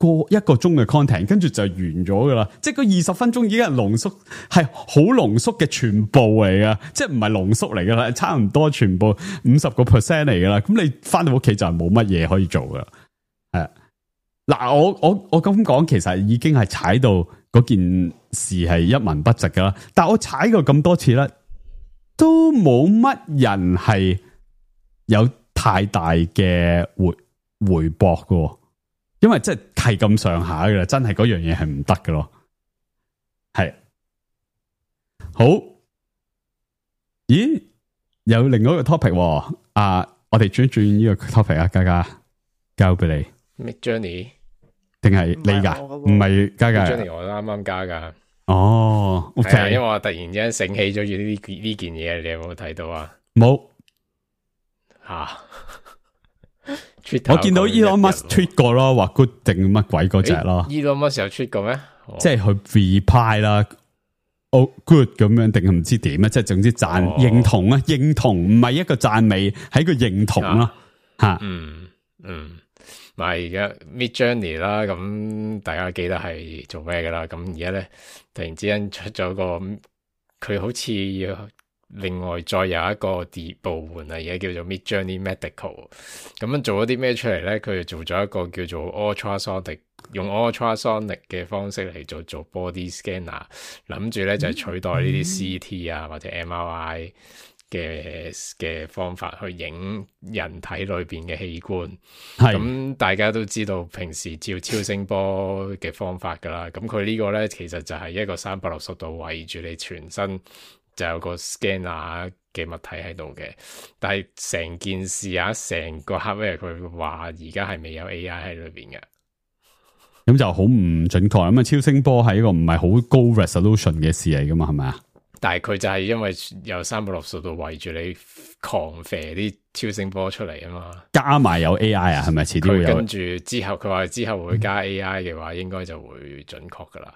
個一個鐘嘅 content， 跟住就完咗噶啦。即係嗰二十分鐘已經係濃縮，係好濃縮嘅全部嚟噶，即係唔係濃縮嚟噶啦，差唔多全部五十個 percent 嚟噶啦。咁你翻到屋企就係冇乜嘢可以做噶。係嗱，我我我咁講，其實已經係踩到嗰件事係一文不值噶啦。但係我踩過咁多次咧，都冇乜人係有太大嘅回回駁噶。因為即係係咁上下嘅啦，真係嗰樣嘢係唔得嘅咯。係好，咦？有另外一個 topic 啊！我哋轉一轉呢個 topic 啊，嘉嘉交俾你。Midjourney 定係你噶？唔係嘉嘉。Midjourney 我啱啱加噶。哦，OK。因為我突然之間醒起咗呢呢件嘢，你有冇睇到啊？冇吓。我見到 Elon Musk tweet 過咯，話 good 定乜鬼嗰隻咯。Elon Musk 有 tweet 過咩？即係佢 reply 啦，哦 good 咁樣定係唔知點啊？即係總之讚認同啊，認同唔係一個讚美，係一個認同咯吓。嗯嗯，咪而家 Midjourney 啦，咁大家記得係做咩噶啦？咁而家咧突然之間出咗個，佢好似要。另外再有一個啲部門啊，而家叫做 Midjourney Medical， 咁樣做咗啲咩出嚟咧？佢就做咗一個叫做 ultrasonic， 用 ultrasonic 嘅方式嚟做做 body scanner， 諗住咧就係、是、取代呢啲 C T 啊或者 M R I 嘅嘅方法去影人體裏邊嘅器官。咁大家都知道平時照超聲波嘅方法噶啦，咁佢呢個咧其實就係一個三百六十度圍住你全身。就有個 scanner 嘅物體喺度嘅，但係成件事啊，成個 hardware 佢話而家係未有 A I 喺裏邊嘅，咁就好唔準確。咁啊，超聲波係一個唔係好高 resolution 嘅事嚟噶嘛，係咪啊？但係佢就係因為有三百六十度圍住你狂射啲超聲波出嚟啊嘛，加埋有 A I 啊，係咪？遲啲會有。跟住之後佢話之後會加 A I 嘅話，嗯、應該就會準確噶啦。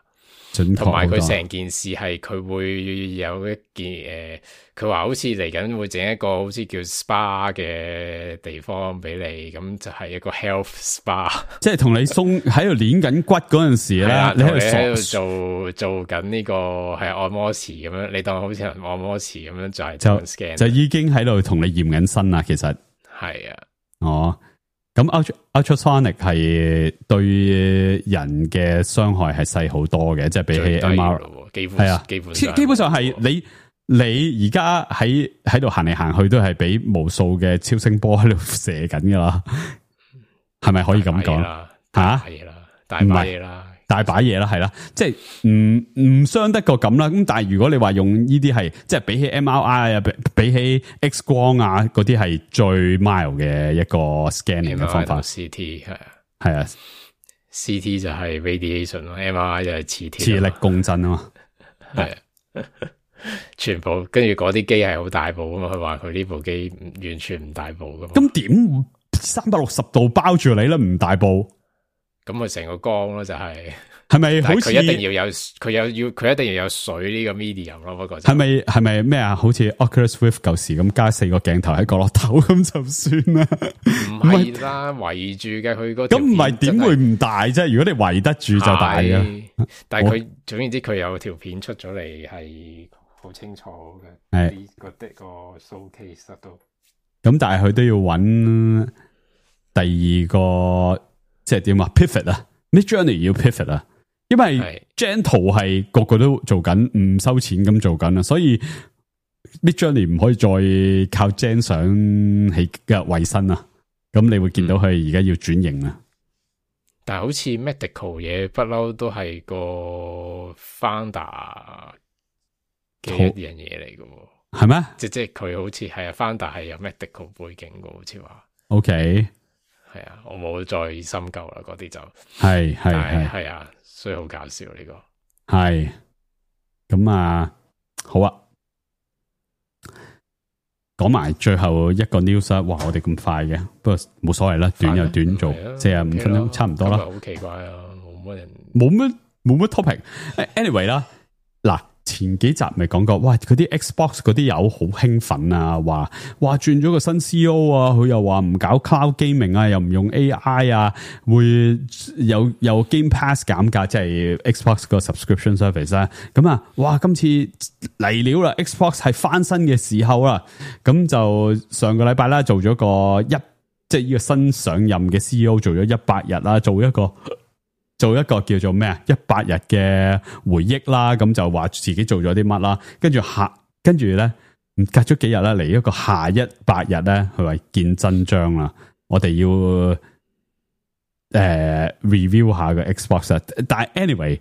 同埋佢成件事係佢會有一件誒，佢、呃、話好似嚟緊會整一個好似叫 spa 嘅地方俾你，咁就係一個 health spa，即係同你鬆喺度練緊骨嗰陣時咧，你喺度做做緊呢、這個係按摩池咁樣，你當好似按摩池咁樣就係就 scan 就已經喺度同你驗緊身啦，其實係啊，哦。咁 ultra ultrasonic 係對人嘅傷害係細好多嘅，即係比起 M R I 幾乎係啊，基本基本上係你你而家喺喺度行嚟行去都係俾無數嘅超聲波喺度射緊噶啦，係咪可以咁講？吓，係啦，大把嘢啦。大把嘢啦，係啦，即係唔唔傷得過咁啦。咁但係如果你話用呢啲係，即係比起 M R I 啊，比比起 X 光啊，嗰啲係最 mild 嘅一個 scanning 嘅方法。C T 係啊，係啊 ，C T 就係 radiation 咯 ，M R I 就係磁鐵，磁力共振啊嘛。係啊，全部跟住嗰啲機係好大部啊嘛。佢話佢呢部機完全唔大部噶嘛。咁點三百六十度包住你咧？唔大部？咁佢成個光咯，就係係咪好似佢一定要有佢有要佢一定要有水呢個 medium 咯，不過係咪係咪咩啊？好似 Oculus Rift 舊時咁加四個鏡頭喺角落頭咁就算啦。唔係啦，圍住嘅佢嗰咁唔係點會唔大啫？如果你圍得住就大嘅。但係佢總言之，佢有條片出咗嚟係好清楚嘅，係個的個 showcase 都。咁但係佢都要揾第二個。即係點啊 ？pivot 啊 ，Midjourney 要 pivot 啊，因為 Gentle 係個個都做緊，唔收錢咁做緊啊，所以 Midjourney 唔可以再靠 Gen 相起嘅衛生啊。咁你會見到佢而家要轉型啊。但係好似 medical 嘢不嬲都係個 founder 嘅一樣嘢嚟嘅，係咩？即即係佢好似係啊 founder 係有 medical 背景嘅，好似話。OK。係啊，我冇再深究啦，嗰啲就係係係係啊，所以好搞笑呢、這個係咁啊，好啊，講埋最後一個 news 啊！哇，我哋咁快嘅，不過冇所謂啦，短又短做，四十五分鐘差唔多啦。好奇怪啊，冇乜人，冇乜冇乜 topic。anyway 啦，嗱，前幾集咪講過，哇！嗰啲 Xbox 嗰啲友好興奮啊，話話轉咗個新 C E O 啊，佢又話唔搞 cloud gaming 啊，又唔用 A I 啊，會有有 Game Pass 減價，即係 Xbox 個 subscription service 啊。咁啊，哇！今次嚟料啦 ，Xbox 係翻身嘅時候啦。咁就上個禮拜啦，做咗個一即係呢個新上任嘅 C E O 做咗一百日啦，做一個。做一個叫做咩啊？一百日嘅回憶啦，咁就話自己做咗啲乜啦，跟住下，跟住咧，隔咗幾日咧，嚟一個下一百日咧，佢話見真章啦。我哋要誒、呃、review 下個 Xbox， 但係 anyway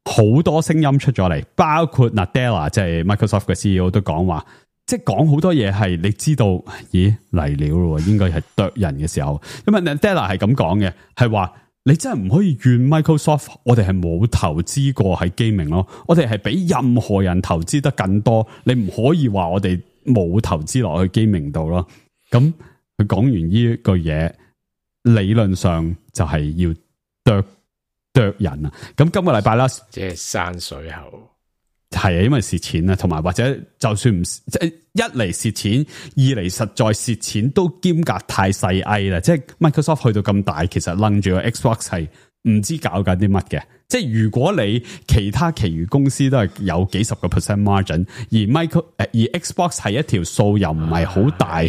好多聲音出咗嚟，包括 Nadella 即係 Microsoft 嘅 C E O 都講話，即係講好多嘢係你知道，咦嚟料咯，應該係剁人嘅時候。因為 Nadella 係咁講嘅，係話。你真係唔可以怨 Microsoft， 我哋係冇投資過喺 gaming 咯，我哋係比任何人投資得更多，你唔可以話我哋冇投資落去 gaming 度咯。咁佢講完呢句嘢，理論上就係要剁剁人啊。咁今個禮拜啦，即係山水後。係啊，因為蝕錢啊，同埋或者就算唔即係一嚟蝕錢，二嚟實在蝕錢都兼夾太細翳啦。即係 Microsoft 去到咁大，其實楞住個 Xbox 係唔知搞緊啲乜嘅。即係如果你其他其餘公司都係有幾十個 percent margin， 而 Micro 誒而 Xbox 係一條數又唔係好大，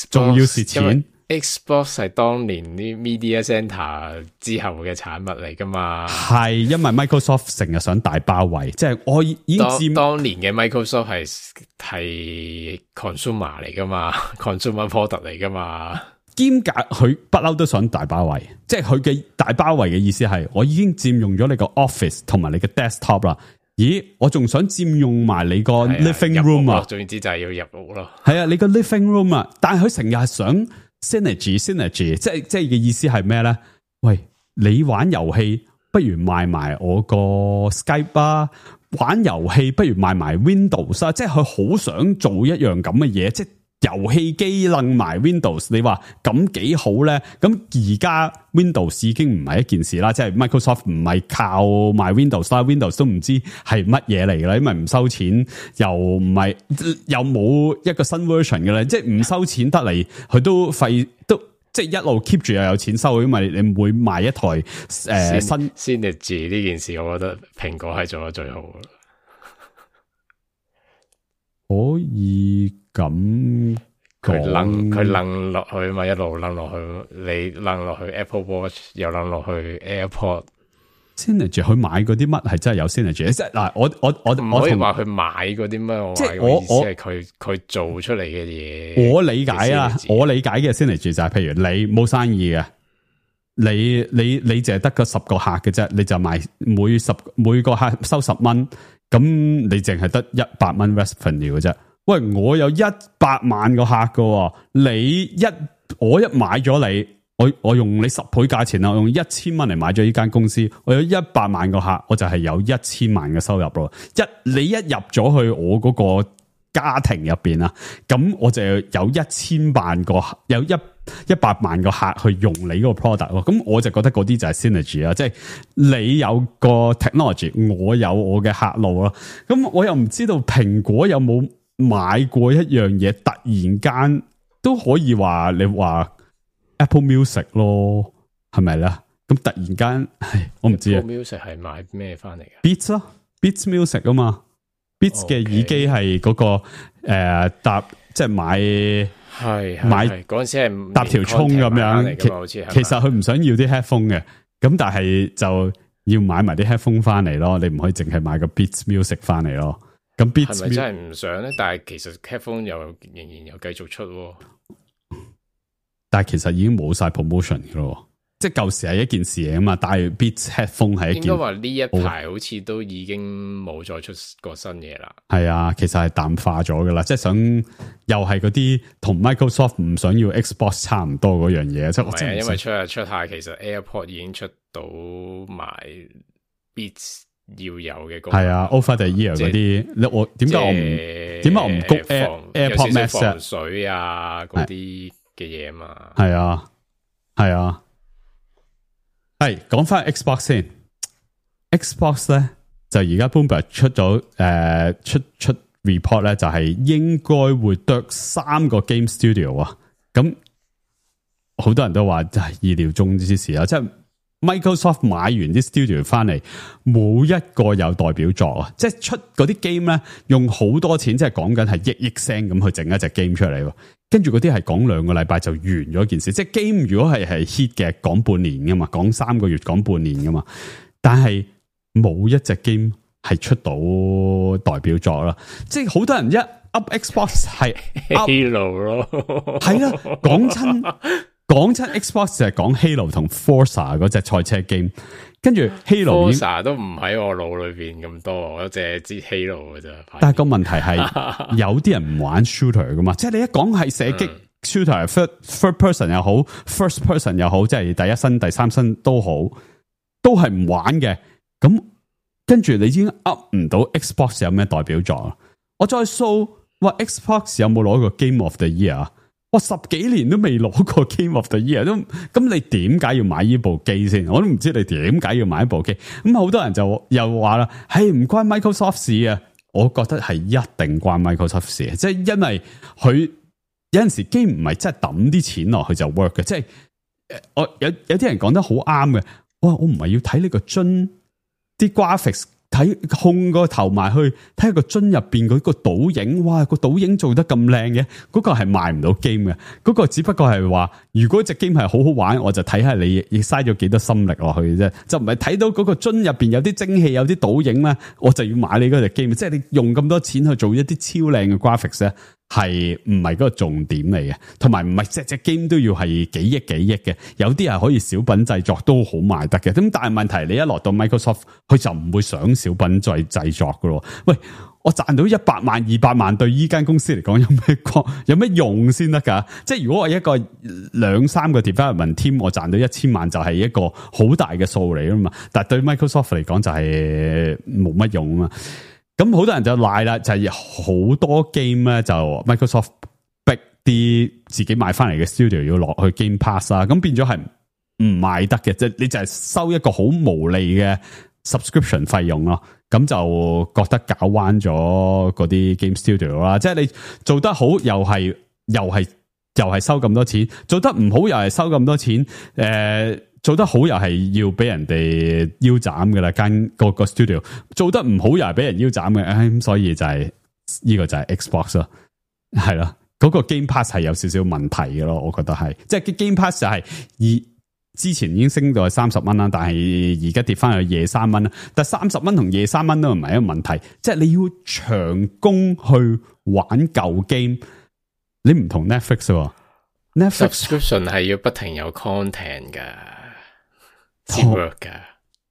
仲、啊、要蝕錢。Xbox 係當年啲 Media Center 之後嘅產物嚟噶嘛？係因為 Microsoft 成日想大包圍，即係我已經佔當年嘅 Microsoft 係係 consumer 嚟噶嘛 ，consumer product 嚟噶嘛。兼夾佢不嬲都想大包圍，即係佢嘅大包圍嘅意思係，我已經佔用咗你個 office 同埋你嘅 desktop 啦。咦，我仲想佔用埋你個 living room 啊？總之就係要入屋咯。係啊，你個 living room 啊，但係佢成日係想。Synergy synergy 即係即係嘅意思係咩咧？喂，你玩遊戲不如賣埋我個 Skype 啊，玩遊戲不如賣埋 Windows 啊，即係佢好想做一樣咁嘅嘢，即係遊戲機楞埋 Windows， 你話咁幾好咧？咁而家 Windows 已經唔係一件事啦，即係 Microsoft 唔係靠賣 Windows 啦 ，Windows 都唔知係乜嘢嚟噶啦，因為唔收錢，又唔係又冇一個新 version 嘅咧，即係唔收錢得嚟，佢都費都即係一路 keep 住又有錢收，因為你唔會賣一台誒、呃、新 Synergy 呢件事，我覺得蘋果係做得最好嘅。可以咁佢掹佢掹落去嘛，一路掹落去，你掹落去 Apple Watch， 又掹落去 AirPod。Synergy 佢買嗰啲乜係真係有 Synergy？ 即係嗱，我我我唔可以話佢買嗰啲咩，即係我我係佢佢做出嚟嘅嘢。我理解啊，我理解嘅 Synergy 就係，譬如你冇生意嘅，你你你淨係得個十個客嘅啫，你就賣每十每個客收十蚊。咁你淨係得一百蚊 revenue 嘅啫。喂，我有一百萬個客嘅，你一我一買咗你，我我用你十倍價錢啦，我用一千蚊嚟買咗呢間公司，我有一百萬個客，我就係有一千萬嘅收入咯。一你一入咗去我嗰個家庭入邊啊，咁我就有一千萬個有一一百萬個客去用你嗰個 product 咯，咁我就覺得嗰啲就係 synergy 啊，即係你有個 technology， 我有我嘅客路咯，咁我又唔知道蘋果有冇買過一樣嘢，突然間都可以話你話 Apple Music 咯，係咪咧？咁突然間，唉，我唔知啊。Apple Music 係買咩翻嚟嘅 ？Beats 咯 ，Beats Music 啊嘛 ，Beats 嘅耳機係嗰個誒搭，即係買。係買嗰陣時係搭條蔥咁樣，其其實佢唔想要啲 headphone 嘅，咁但係就要買埋啲 headphone 翻嚟咯，你唔可以淨係買個 Beats Music 翻嚟咯。咁 Beats 係咪真係唔想咧？但係其實 headphone 又仍然又繼續出，但係其實已經冇晒 promotion 嘅咯。即係舊時係一件事嚟啊嘛，但係 Beats headphone 係一件。應該話呢一排好似都已經冇再出過新嘢啦。係啊，其實係淡化咗噶啦，即係想又係嗰啲同 Microsoft 唔想要 Xbox 差唔多嗰樣嘢。即係係啊，因為出下出下，其實 AirPod 已經出到埋 Beats 要有嘅功能。係啊 ，Over the Ear 嗰啲，你我點解我唔點解我唔谷 Air AirPod Max 防水啊嗰啲嘅嘢嘛？係啊，係啊。係講翻 Xbox 先 ，Xbox 咧就而家 Bloomberg 出咗誒、呃、出出 report 咧，就係應該會得三個 game studio 啊。咁好多人都話就係意料中之事啊，即係 Microsoft 買完啲 studio 翻嚟，冇一個有代表作啊！即係出嗰啲 game 咧，用好多錢，即係講緊係億億聲咁去整一隻 game 出嚟。跟住嗰啲係講兩個禮拜就完咗件事，即係 game 如果係係 hit 嘅，講半年噶嘛，講三個月，講半年噶嘛。但係冇一隻 game 係出到代表作啦，即係好多人一 up Xbox 係 Halo 咯，係啦，講親講親 Xbox 就係講 Halo 同 Forza 嗰隻賽車 game， 跟住 Halo Forza 都唔喺我腦裏邊咁多，我淨係知 Halo 嘅啫。但係個問題係有啲人唔玩 shooter 噶嘛，即係你一講係射擊 shooter， third third person 又好 ，first person 又好，即係第一身、第三身都好，都係唔玩嘅。咁跟住你已經 up 唔到 Xbox 有咩代表作？我再 show 話 Xbox 有冇攞過 Game of the Year 啊？我十幾年都未攞過 Game of the Year，都咁你點解要買呢部機先？我都唔知你點解要買一部機。咁好多人就又話啦，係唔關 Microsoft 事啊？我覺得係一定關 Microsoft 事，即係因為佢有陣時機唔係真係抌啲錢落去就 work 嘅，即係我有有啲人講得好啱嘅。哇，我唔係要睇呢個樽啲 graphics。睇控個頭埋去睇下個樽入邊嗰個倒影，哇！個倒影做得咁靚嘅，嗰個係賣唔到 game 嘅，嗰個只不過係話，如果隻 game 係好好玩，我就睇下你亦嘥咗幾多心力落去啫，就唔係睇到嗰個樽入邊有啲蒸汽、有啲倒影咧，我就要買你嗰隻 game。即係你用咁多錢去做一啲超靚嘅 graphics 咧，係唔係嗰個重點嚟嘅？同埋唔係隻隻 game 都要係幾億幾億嘅，有啲係可以小品製作都好賣得嘅。咁但係問題，你一落到 Microsoft，佢就唔會想小品再製作噶咯。喂，我賺到一百萬、二百萬，對依間公司嚟講有咩有咩用先得噶？即係如果我一個兩三個 development team，我賺到一千萬就係一個好大嘅數嚟啊嘛。但係對 Microsoft 嚟講就係冇乜用啊嘛。咁好多人就賴啦，就係、是、好多 game 咧，就 Microsoft 逼啲自己買翻嚟嘅 studio 要落去 Game Pass 啊，咁變咗係唔賣得嘅，即係你就係收一個好無利嘅 subscription 費用咯，咁就覺得搞彎咗嗰啲 game studio 啦，即係你做得好又係又係又係收咁多錢，做得唔好又係收咁多錢，誒、呃。做得好又係要俾人哋腰斬嘅啦，間個個 studio 做得唔好又係俾人腰斬嘅，唉，咁所以就係、是、呢、這個就係 Xbox 咯，係啦，嗰、那個 Game Pass 係有少少問題嘅咯，我覺得係，即係 Game Pass 就係而之前已經升到係三十蚊啦，但係而家跌翻去廿三蚊啦，但係三十蚊同廿三蚊都唔係一個問題，即係你要長工去玩舊 game，你唔同 Netflix 喎 ，Netflix subscription 係要不停有 content 噶。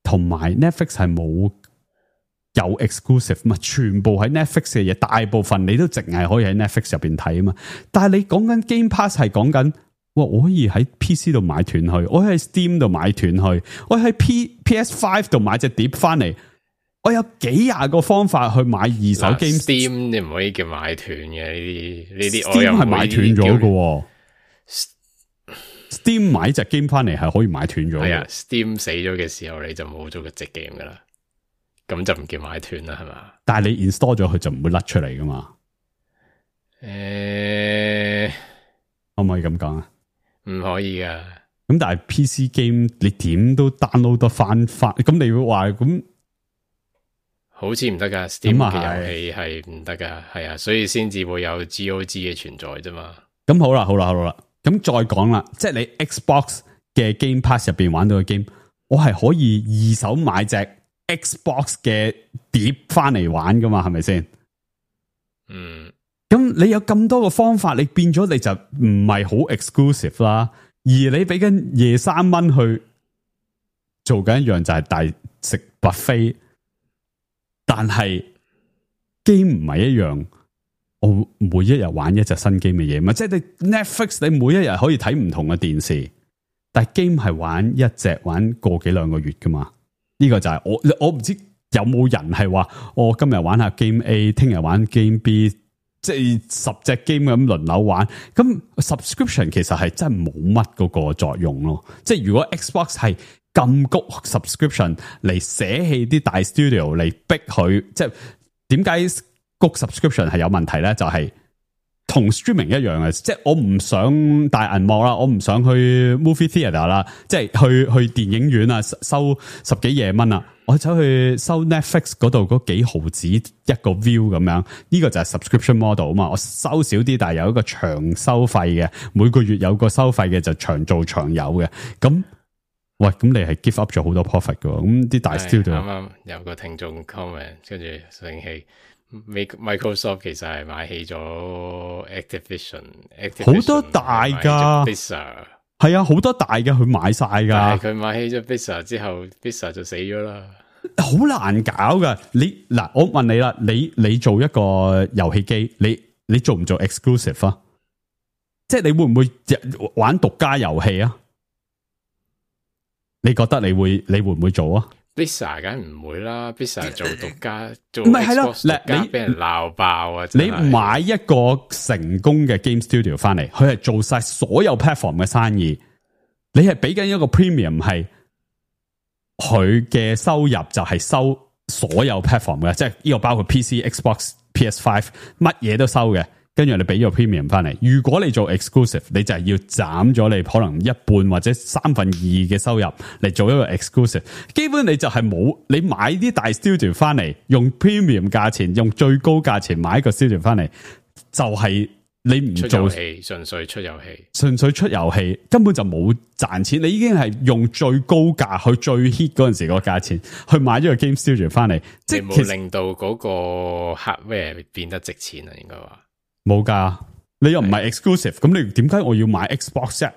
同埋 Netflix 係冇有，有 exclusive 嘛，全部喺 Netflix 嘅嘢，大部分你都淨係可以喺 Netflix 入邊睇啊嘛。但係你講緊 Game Pass 係講緊，哇！我可以喺 P C 度買斷去，我可以喺 Steam 度買斷去，我喺 P PS 五度買隻碟翻嚟，我有幾廿個方法去買二手 game。Steam 你唔可以叫買斷嘅呢啲呢啲，Steam 係買斷咗嘅。Steam 買隻 game 翻嚟係可以買斷咗。係啊 ，Steam 死咗嘅時候你就冇咗個隻 game 噶啦，咁就唔叫買斷啦，係嘛？但係你 install 咗佢就唔會甩出嚟噶嘛？誒、欸，可唔可以咁講啊？唔可以噶。咁但係 P C game 你點都 download 得翻翻，咁你會話咁？好似唔得噶 ，Steam 嘅遊戲係唔得噶，係啊，所以先至會有 G O G 嘅存在啫嘛。咁好啦，好啦，好啦。咁再講啦，即係你 Xbox 嘅 Game Pass 入邊玩到嘅 game，我係可以二手買隻 Xbox 嘅碟翻嚟玩噶嘛？係咪先？嗯。咁你有咁多個方法，你變咗你就唔係好 exclusive 啦。而你俾緊廿三蚊去做緊一樣就係大食 buffet，但係 game 唔係一樣。我每一日玩一隻新 game 嘅嘢嘛，即係你 Netflix 你每一日可以睇唔同嘅電視，但係 game 係玩一隻玩個幾兩個月噶嘛？呢、這個就係我我唔知有冇人係話我今日玩下 game A， 聽日玩 game B，即係十隻 game 咁輪流玩，咁 subscription 其實係真係冇乜嗰個作用咯。即係如果 Xbox 係咁谷 subscription 嚟捨棄啲大 studio 嚟逼佢，即係點解谷 subscription 係有問題咧？就係、是、同 streaming 一樣嘅，即係我唔想大銀幕啦，我唔想去 movie theatre 啦，即係去去電影院啊，收十幾廿蚊啊。我走去收 Netflix 嗰度嗰幾毫子一個 view 咁樣，呢個就係 subscription model 啊嘛。我收少啲，但係有一個長收費嘅，每個月有個收費嘅就長做長有嘅。咁喂，咁你係 give up 咗好多 profit 嘅，咁啲大 studio 啱啱有個聽眾 comment， 跟住醒起 Microsoft 其實係買起咗 Activision， 好多大噶。係啊，好多大嘅佢買晒噶，但係佢買起咗 Blizzard 之後 Blizzard 就死咗啦，好難搞噶。你嗱，我問你啦，你你做一個遊戲機，你你做唔做 exclusive 啊？即係你會唔會玩獨家遊戲啊？你覺得你會你會唔會做啊？ Blizzard 梗係唔會啦 ，Blizzard 做獨家做唔係係咯，獨家俾人鬧爆啊！你買一個成功嘅 game studio 翻嚟，佢係做晒所有 platform 嘅生意，你係俾緊一個 premium， 係佢嘅收入就係收所有 platform 嘅，即係呢個包括 P C、Xbox、P S 五， 乜嘢都收嘅。跟住你俾咗 premium 翻嚟，如果你做 exclusive， 你就係要斬咗你可能一半或者三分二嘅收入嚟做一個 exclusive。基本你就係冇，你買啲大 studio 翻嚟，用 premium 價錢，用最高價錢買一個 studio 翻嚟，就係、是、你唔做遊戲，純粹出遊戲，純粹出遊戲，根本就冇賺錢。你已經係用最高價去最 hit 嗰陣時個價錢去買咗個 game studio 翻嚟，即係冇令到嗰個 hardware 變得值錢啊，應該話。冇噶，你又唔係 exclusive，咁你點解我要買 Xbox 啫？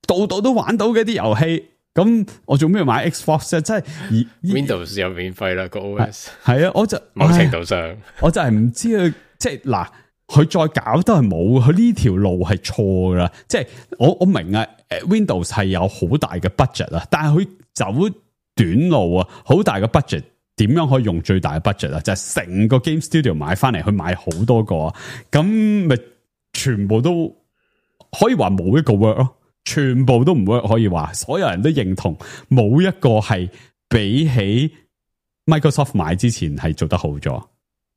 度度都玩到嘅啲遊戲，咁我做咩要買 Xbox 啫？即係 Windows 又免費啦個 O S， 係啊，我就某程度上，我就係唔知佢即係嗱，佢再搞都係冇，佢呢條路係錯噶啦。即係我我明啊 ，Windows 係有好大嘅 budget 啊，但係佢走短路啊，好大嘅 budget。點樣可以用最大嘅 budget 啊？就係、是、成個 game studio 買翻嚟，去買好多個，咁咪全部都可以話冇一個 work 咯，全部都唔 work，可以話所有人都認同冇一個係比起 Microsoft 買之前係做得好咗，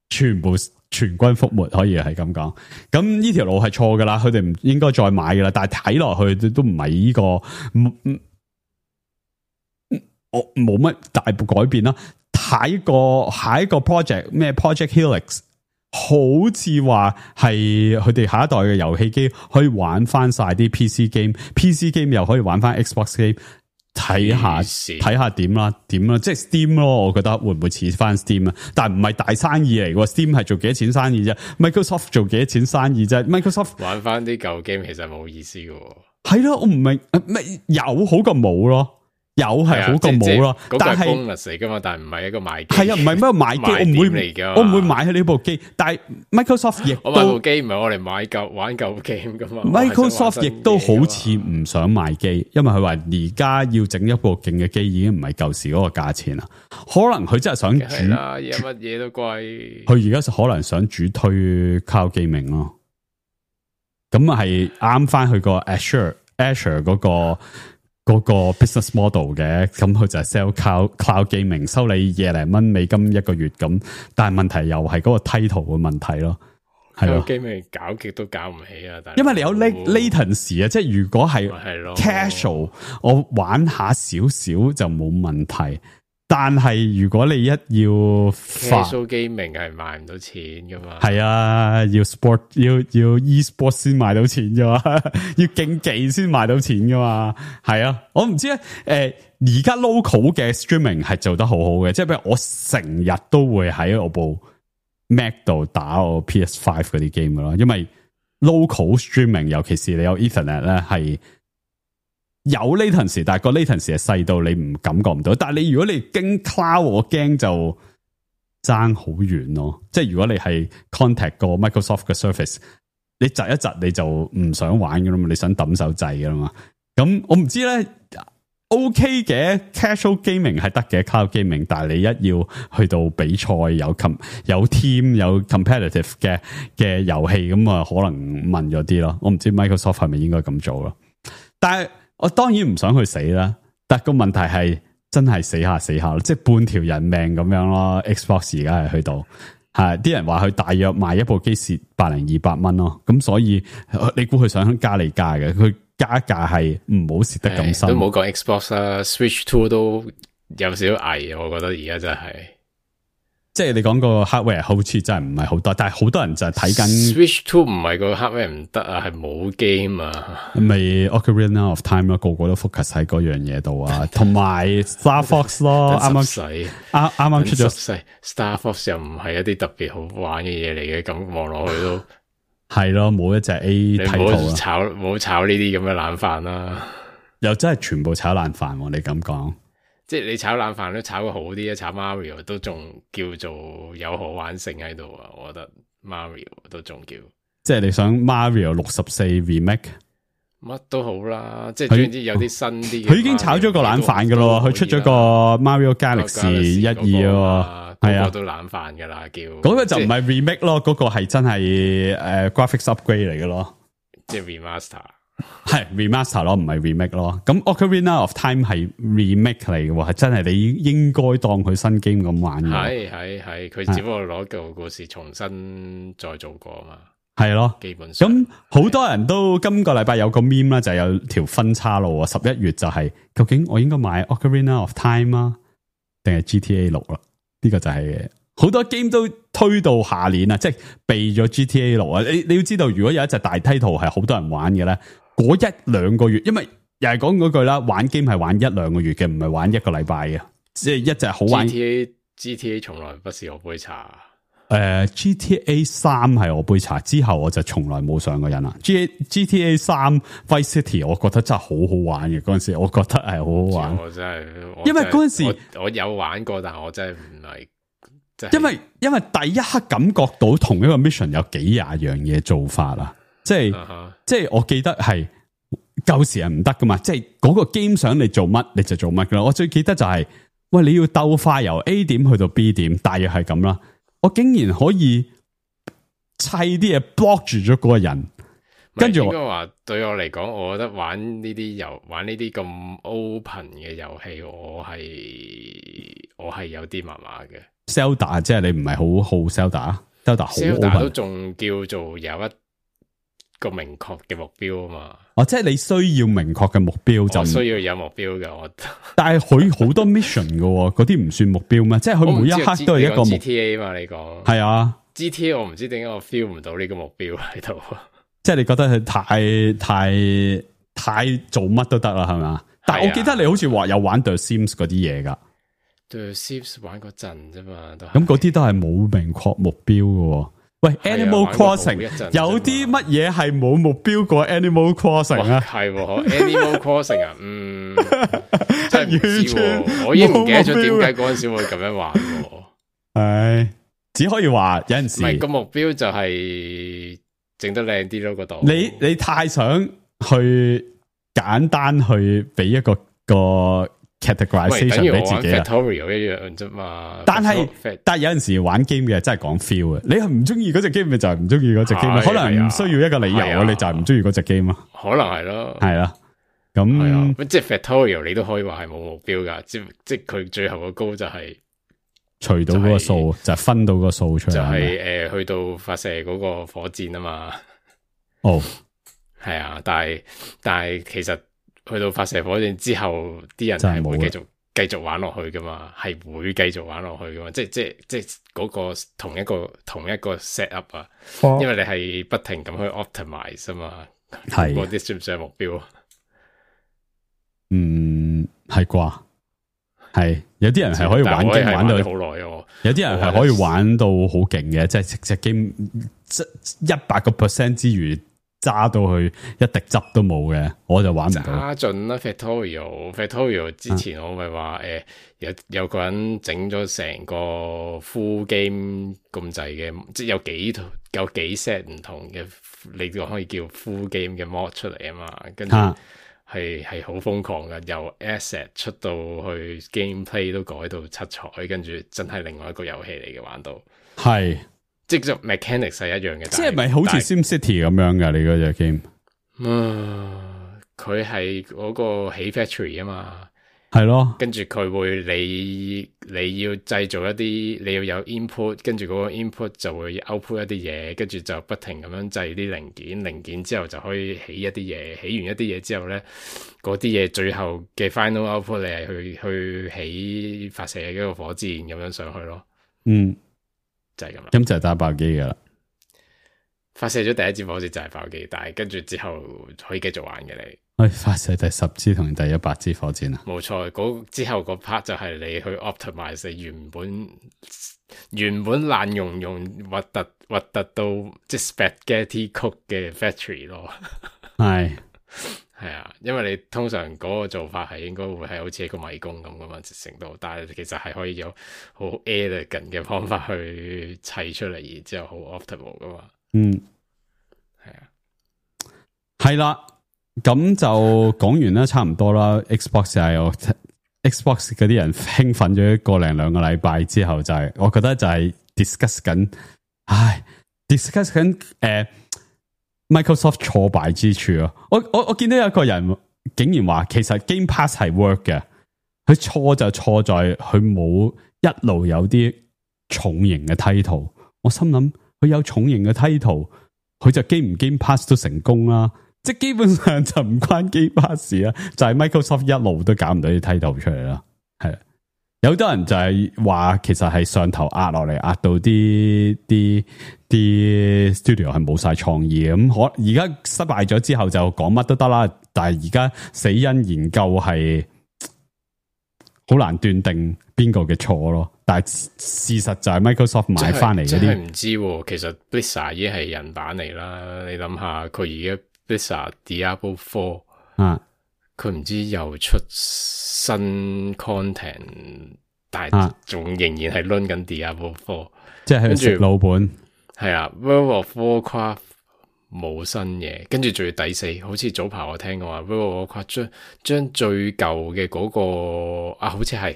全部全軍覆沒，可以係咁講。咁呢條路係錯噶啦，佢哋唔應該再買噶啦。但係睇落去都唔係呢個，我冇乜大改變啦。下一個下一個 project 咩 Project Helix， 好似話係佢哋下一代嘅遊戲機可以玩翻晒啲 P C game，P C game 又可以玩翻 Xbox game， 睇下睇下點啦點啦，即係 Steam 咯，我覺得會唔會似翻 Steam 啊？但係唔係大生意嚟嘅 ，Steam 係做幾多錢生意啫 ？Microsoft 做幾多錢生意啫 ？Microsoft 玩翻啲舊 game 其實冇意思嘅，係咯，我唔明咩有好過冇咯。有係好過冇咯，但係 bonus 嚟噶嘛，但係唔係一個賣機。係啊，唔係咩買機，我唔會，我唔會買喺呢部機。但係 Microsoft 亦都，我買部機唔係我嚟買舊玩舊 game 噶嘛。Microsoft 亦都好似唔想賣機，因為佢話而家要整一部勁嘅機已經唔係舊時嗰個價錢啦。可能佢真係想主啦，而家乜嘢都貴。佢而家可能想主推 cloud gaming 咯。咁啊係啱翻去個 Azure Azure 嗰個。嗰個 business model 嘅，咁佢就係 sell cloud cloud gaming， 收你廿零蚊美金一個月咁，但係問題又係嗰個 title 嘅問題咯，係咯 gaming 搞極都搞唔起啊！但因為你有 latency 啊，即係如果係 casual，我玩下少少就冇問題。但係如果你一要 casual gaming 係賣唔到錢噶嘛？係啊，要 sport 要要 e-sport 先賣到錢噶嘛？要競技先賣到錢噶嘛？係啊，我唔知咧。誒、呃，而家 local 嘅 streaming 係做得好好嘅，即係譬如我成日都會喺我部 Mac 度打我 P S 五 嗰啲 game 噶咯，因為 local streaming 尤其是你有 Ethernet 咧係。有 latency， 但係個 latency 係細到你唔感覺唔到。但係你如果你經 cloud， 我驚就爭好遠咯。即係如果你係 contact 個 Microsoft 嘅 Surface， 你窒一窒你就唔想玩噶啦嘛，你想抌手掣噶啦嘛。咁我唔知咧 OK 嘅 casual gaming 係得嘅 cloud gaming，但係你一要去到比賽有 com 有 team 有 competitive 嘅嘅遊戲咁啊，可能問咗啲咯。我唔知 Microsoft 係咪應該咁做咯。但係我當然唔想去死啦。但個問題係真係死下死下，即係半條人命咁樣咯。Xbox 而家係去到係啲人話佢大約賣一部機蝕百零二百蚊咯。咁所以你估佢想加你加嘅佢？加價係唔好蝕得咁深，都冇講 Xbox 啦 ，Switch Two 都有少少危，我覺得而家真係，即係你講個 hardware 好似真係唔係好多，但係好多人就係睇緊 Switch Two 唔係個 hardware 唔得啊，係冇 game 啊，咪 Ocarina of Time 咯，個個都 focus 喺嗰樣嘢度啊，同埋 Star Fox 咯，啱啱啱啱啱出咗 Star Fox 又唔係一啲特別好玩嘅嘢嚟嘅，咁望落去都。係咯，冇一隻 A 睇圖啊！唔好炒，唔好炒呢啲咁嘅冷飯啦。又真係全部炒冷飯，你咁講，即係你炒冷飯都炒個好啲啊！炒 Mario 都仲叫做有可玩性喺度啊！我覺得 Mario 都仲叫，即係你想 Mario 六十四 remake， 乜都好啦。即係總之有啲新啲，佢已經炒咗個冷飯噶咯，佢出咗個 Mario Galaxy 一二啊。係啊，都冷飯噶啦，叫嗰、那個就唔係 remake 咯，嗰、那個係真係誒、uh, graphics upgrade 嚟嘅咯，即係 remaster， 係 remaster 咯，唔係 remake 咯。咁 Ocarina of Time 係 remake 嚟嘅喎，係真係你應該當佢新 game 咁玩嘅。係係係，佢只不過攞舊故事重新再做過嘛。係咯，基本上咁好多人都今個禮拜有個 meme 啦，就係有條分叉路啊。十一月就係、是、究竟我應該買 Ocarina of Time 啊，定係 G T A 六啦？呢個就係好多 game 都推到下年啊，即係避咗 G T A 六啊。你你要知道，如果有一隻大梯圖係好多人玩嘅咧，嗰一兩個月，因為又係講嗰句啦，玩 game 係玩一兩個月嘅，唔係玩一個禮拜嘅。即係一隻好玩 G T A G T A 從來不是我杯茶。誒、呃、，G T A 三係我杯茶，之後我就從來冇上過癮啦。G G T A 三 Vice City 我覺得真係好好玩嘅，嗰陣時我覺得係好好玩。我真係，因為嗰陣時我，我有玩過，但係我真係唔係，因為因為第一刻感覺到同一個 mission 有幾廿樣嘢做法啦，即係、uh-huh. 即係我記得係舊時係唔得噶嘛，即係嗰個 game 想你做乜你就做乜噶啦。我最記得就係、是、喂，你要鬥快由 A 點去到 B 點，大約係咁啦。我竟然可以砌啲嘢 block 住咗嗰個人，跟住應該話對我嚟講，我覺得玩呢啲遊玩呢啲咁 open 嘅遊戲，我係我係有啲麻麻嘅。Zelda 即係你唔係好好 Zelda，Zelda 好 open 都仲叫做有一個明確嘅目標啊嘛。哦，即係你需要明確嘅目標就我需要有目標嘅我。但係佢好多 mission 嘅，嗰啲唔算目標咩？即係佢每一刻都係一個目標。G T A 嘛，你講係啊 ？G T A 我唔知點解我 feel 唔到呢個目標喺度。即係你覺得佢太太太做乜都得啦，係咪啊？但係我記得你好似話有玩 The Sims 嗰啲嘢噶。The Sims 玩嗰陣啫嘛，咁嗰啲都係冇明確目標嘅。喂 ，Animal Crossing 有啲乜嘢係冇目標過 Animal Crossing 啊？係 Animal Crossing 啊，嗯，真係唔知，我已經唔記得咗點解嗰陣時會咁樣玩。係只可以話有陣時，唔係個目標就係整得靚啲咯，嗰度。你你太想去簡單去俾一個個 categorization 俾自己啊，Factorio 一樣啫嘛。但係但係有陣時玩 game 嘅真係講 feel 啊！你係唔中意嗰隻 game 咪就係唔中意嗰隻 game，可能唔需要一個理由啊，你就係唔中意嗰隻 game 啊。可能係咯，係啦，咁即係 Factorio 你都可以話係冇目標噶，即即佢最後個高就係除到嗰個數，就係分到個數出嚟，就係誒去到發射嗰個火箭啊嘛。哦，係啊，但係但係其實。去到發射火箭之後，啲人係會繼續繼續玩落去噶嘛，係會繼續玩落去噶嘛，即係即係即係嗰個同一個同一個 set up 啊，哦、因為你係不停咁去 optimize 啊嘛，係嗰啲算唔算係目標？嗯，係啩？係有啲人係可以玩 game 玩到好耐哦，有啲人係可以玩到好勁嘅，即係隻 game 一百個 percent 之餘。揸到去一滴汁都冇嘅，我就玩唔到。揸盡啦 Factorio，Factorio 之前我咪話誒，有有個人整咗成個 full game 咁滯嘅，即係有幾有幾 set 唔同嘅，你都可以叫 full game 嘅 mod 出嚟啊嘛。跟住係係好瘋狂嘅，由 asset 出到去 gameplay 都改到七彩，跟住真係另外一個遊戲嚟嘅玩到。係，即係 mechanics 係一樣嘅。即係咪好似 SimCity 咁樣㗎？你嗰隻 game？嗯，佢係嗰個起 factory 啊嘛。係咯，跟住佢會你你要製造一啲，你要有 input，跟住嗰個 input 就會 output 一啲嘢，跟住就不停咁樣製啲零件，零件之後就可以起一啲嘢，起完一啲嘢之後咧，嗰啲嘢最後嘅 final output 你係去去起發射一個火箭咁樣上去咯。嗯，就係咁啦。咁就係打爆機噶啦。發射咗第一支火箭就係爆機，但係跟住之後可以繼續玩嘅你。可以發射第十支同第一百支火箭啊！冇錯，嗰之後個 part 就係你去 optimize 原本原本爛溶溶核突核突到即係 spaghetti cook 嘅 factory 咯。係係啊，因為你通常嗰個做法係應該會係好似一個迷宮咁噶嘛，成度，但係其實係可以有好 elegant 嘅方法去砌出嚟，然之後好 optimal 噶嘛。嗯，係啊，係啦。咁就講完啦，差唔多啦。Xbox 係有 Xbox 嗰啲人興奮咗一個零兩個禮拜之後，就係、是、我覺得就係 discuss 緊，唉 discuss 緊誒、呃、Microsoft 挫敗之處咯。我我我見到有個人竟然話，其實 Game Pass 係 work 嘅，佢錯就錯在佢冇一路有啲重型嘅 title。我心諗佢有重型嘅 title，佢就 Game 唔 Game Pass 都成功啦。即係基本上就唔關 Game Pass 事啦，就係、是、Microsoft 一路都搞唔到啲 title 出嚟啦。係有好多人就係話，其實係上頭壓落嚟，壓到啲啲啲 studio 係冇晒創意嘅。咁可而家失敗咗之後就講乜都得啦。但係而家死因研究係好難斷定邊個嘅錯咯。但係事實就係 Microsoft 買翻嚟嗰啲，真係唔知、啊。其實 Blizzard 已經係人版嚟啦。你諗下，佢而家。Blizzard Diablo Four 啊，佢唔知又出新 content， 但係仲仍然係輪緊 Diablo Four， 即係食老本。係啊 ，World of Warcraft 冇新嘢，跟住仲要第四，好似早排我聽過話 World of Warcraft 將將最舊嘅嗰個啊，好似係。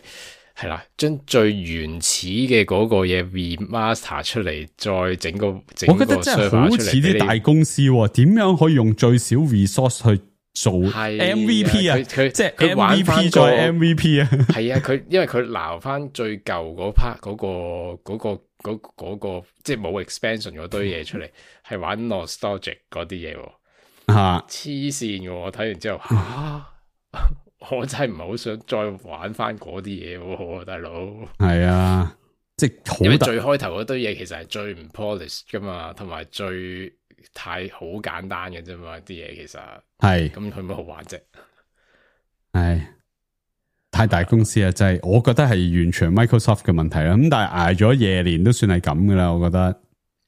係啦，將最原始嘅嗰個嘢 remaster 出嚟，再整個整個 server 出嚟。我覺得真係好似啲大公司，點樣可以用最少 resource 去做 M V P 啊？佢即係 M V P 再 M V P 啊？係啊，佢因為佢撈翻最舊嗰 part 嗰個嗰、嗰個嗰、嗰個即係冇 expansion 嗰堆嘢出嚟，係玩 nostalgic 嗰啲嘢。吓，黐線嘅，我睇完之後吓。啊我真係唔係好想再玩翻嗰啲嘢，大佬。係啊，即係因為最開頭嗰堆嘢其實係最唔 polish 噶嘛，同埋最太好簡單嘅啫嘛，啲嘢其實係咁佢乜好玩啫？係太大公司啊，真係，我覺得係完全 Microsoft 嘅問題啦。咁但係挨咗夜年都算係咁噶啦，我覺得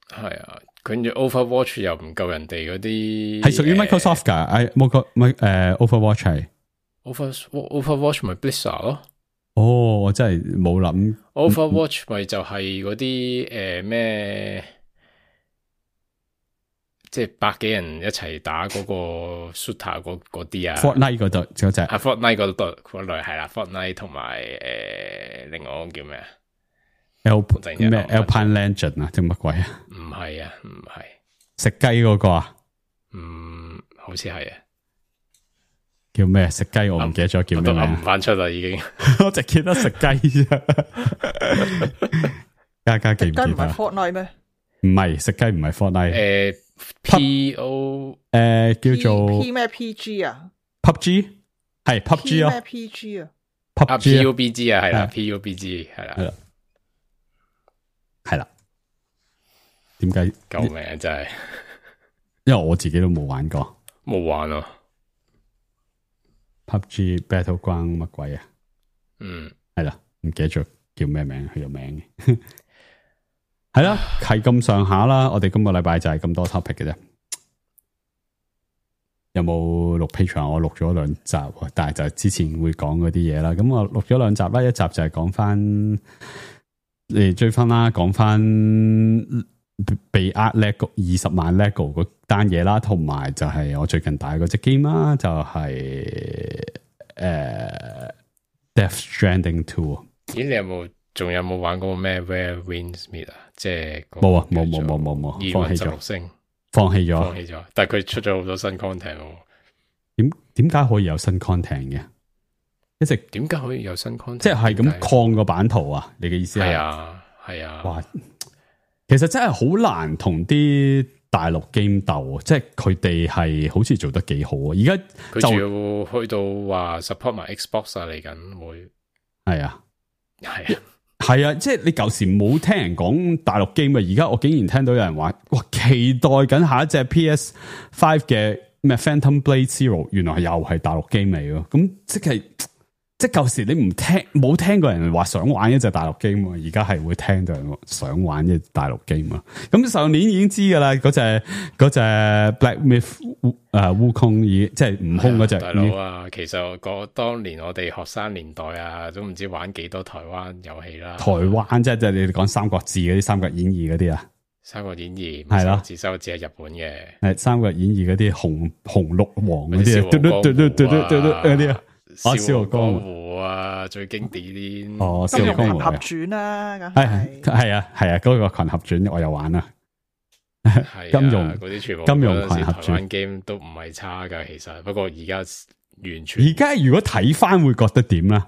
係啊。跟住 Overwatch 又唔夠人哋嗰啲，係屬於 Microsoft 噶。誒，冇個咪誒 Overwatch 係。Over Overwatch 咪 Blizzard 咯。哦，我真係冇諗。Overwatch 咪就係嗰啲誒咩，即係百幾人一齊打嗰個 shooter 嗰嗰啲啊。Fortnite 嗰度嗰隻。啊 Fortnite 嗰度嗰類係啦 ，Fortnite 同埋誒另外嗰個叫咩啊 ？L 咩 Alpine Legend 啊？定乜鬼啊？唔係啊，唔係食雞嗰個啊？嗯，好似係啊。叫咩食雞？我唔記得咗叫咩名。唔翻出啦，已經。我淨記得食雞啫。家家記唔記得？唔係 Fortnite 咩？唔係食雞，唔係 Fortnite。誒，P O 誒叫做 P 咩 P G 啊 ？P U B G 係 P U B G 咯。咩 P G 啊 ？P U B G 啊，係啦 ，P U B G 係啦，係啦，係啦。點解？救命啊！真係，因為我自己都冇玩過，冇玩啊。P U B G Battleground 乜鬼啊？嗯，係啦，唔記得咗叫咩名，佢有名嘅。係啦，係咁上下啦。我哋今個禮拜就係咁多 topic 嘅啫。有冇錄 Patreon？我錄咗兩集，但係就之前會講嗰啲嘢啦。咁我錄咗兩集啦，一集就係講翻你追分啦，講翻被呃 lego 二十萬 lego 嗰單嘢啦，同埋就係我最近打嗰隻 game 啦，就係、是、誒、呃、Death Stranding two。咦，你有冇仲有冇玩過咩 Where Winds Meet 啊？即係冇啊，冇冇冇冇冇，放棄咗，星放棄咗，放棄咗。但係佢出咗好多新 content 喎。點點解可以有新 content 嘅？一直點解可以有新 content？即係咁擴個版圖啊？你嘅意思係？係啊，係啊。哇，其實真係好難同啲大陸 game 鬥，即係佢哋係好似做得幾好啊！而家佢仲要去到話 support 埋 Xbox 啊，嚟緊會係啊，係啊，係啊！即係你舊時冇聽人講大陸 game 啊，而家我竟然聽到有人話，哇，期待緊下一隻 P S 五 嘅咩 Phantom Blade Zero， 原來又係大陸 game 嚟咯，咁即係。即係舊時你唔聽冇聽過人話想玩一隻大陸 game，而家係會聽到人想玩一隻大陸 game 啊！咁上年已經知噶啦，嗰隻嗰隻 Black Myth 誒悟空已即係悟空嗰隻大佬啊！其實嗰當年我哋學生年代啊，都唔知玩幾多台灣遊戲啦。台灣即係即係你哋講三國志嗰啲、三國演義嗰啲啊，三國演義係咯，自收字係日本嘅，係三國演義嗰啲紅紅綠黃嗰啲啊，嘟嘟嘟嘟嘟嘟嘟嗰啲啊。哦，笑傲江湖啊，最經典啲。哦，金庸群俠傳啦，咁係係啊係啊，嗰個群俠傳我有玩啊。係金庸嗰啲全部金庸群俠台灣 game 都唔係差噶，其實不過而家完全。而家如果睇翻會覺得點咧？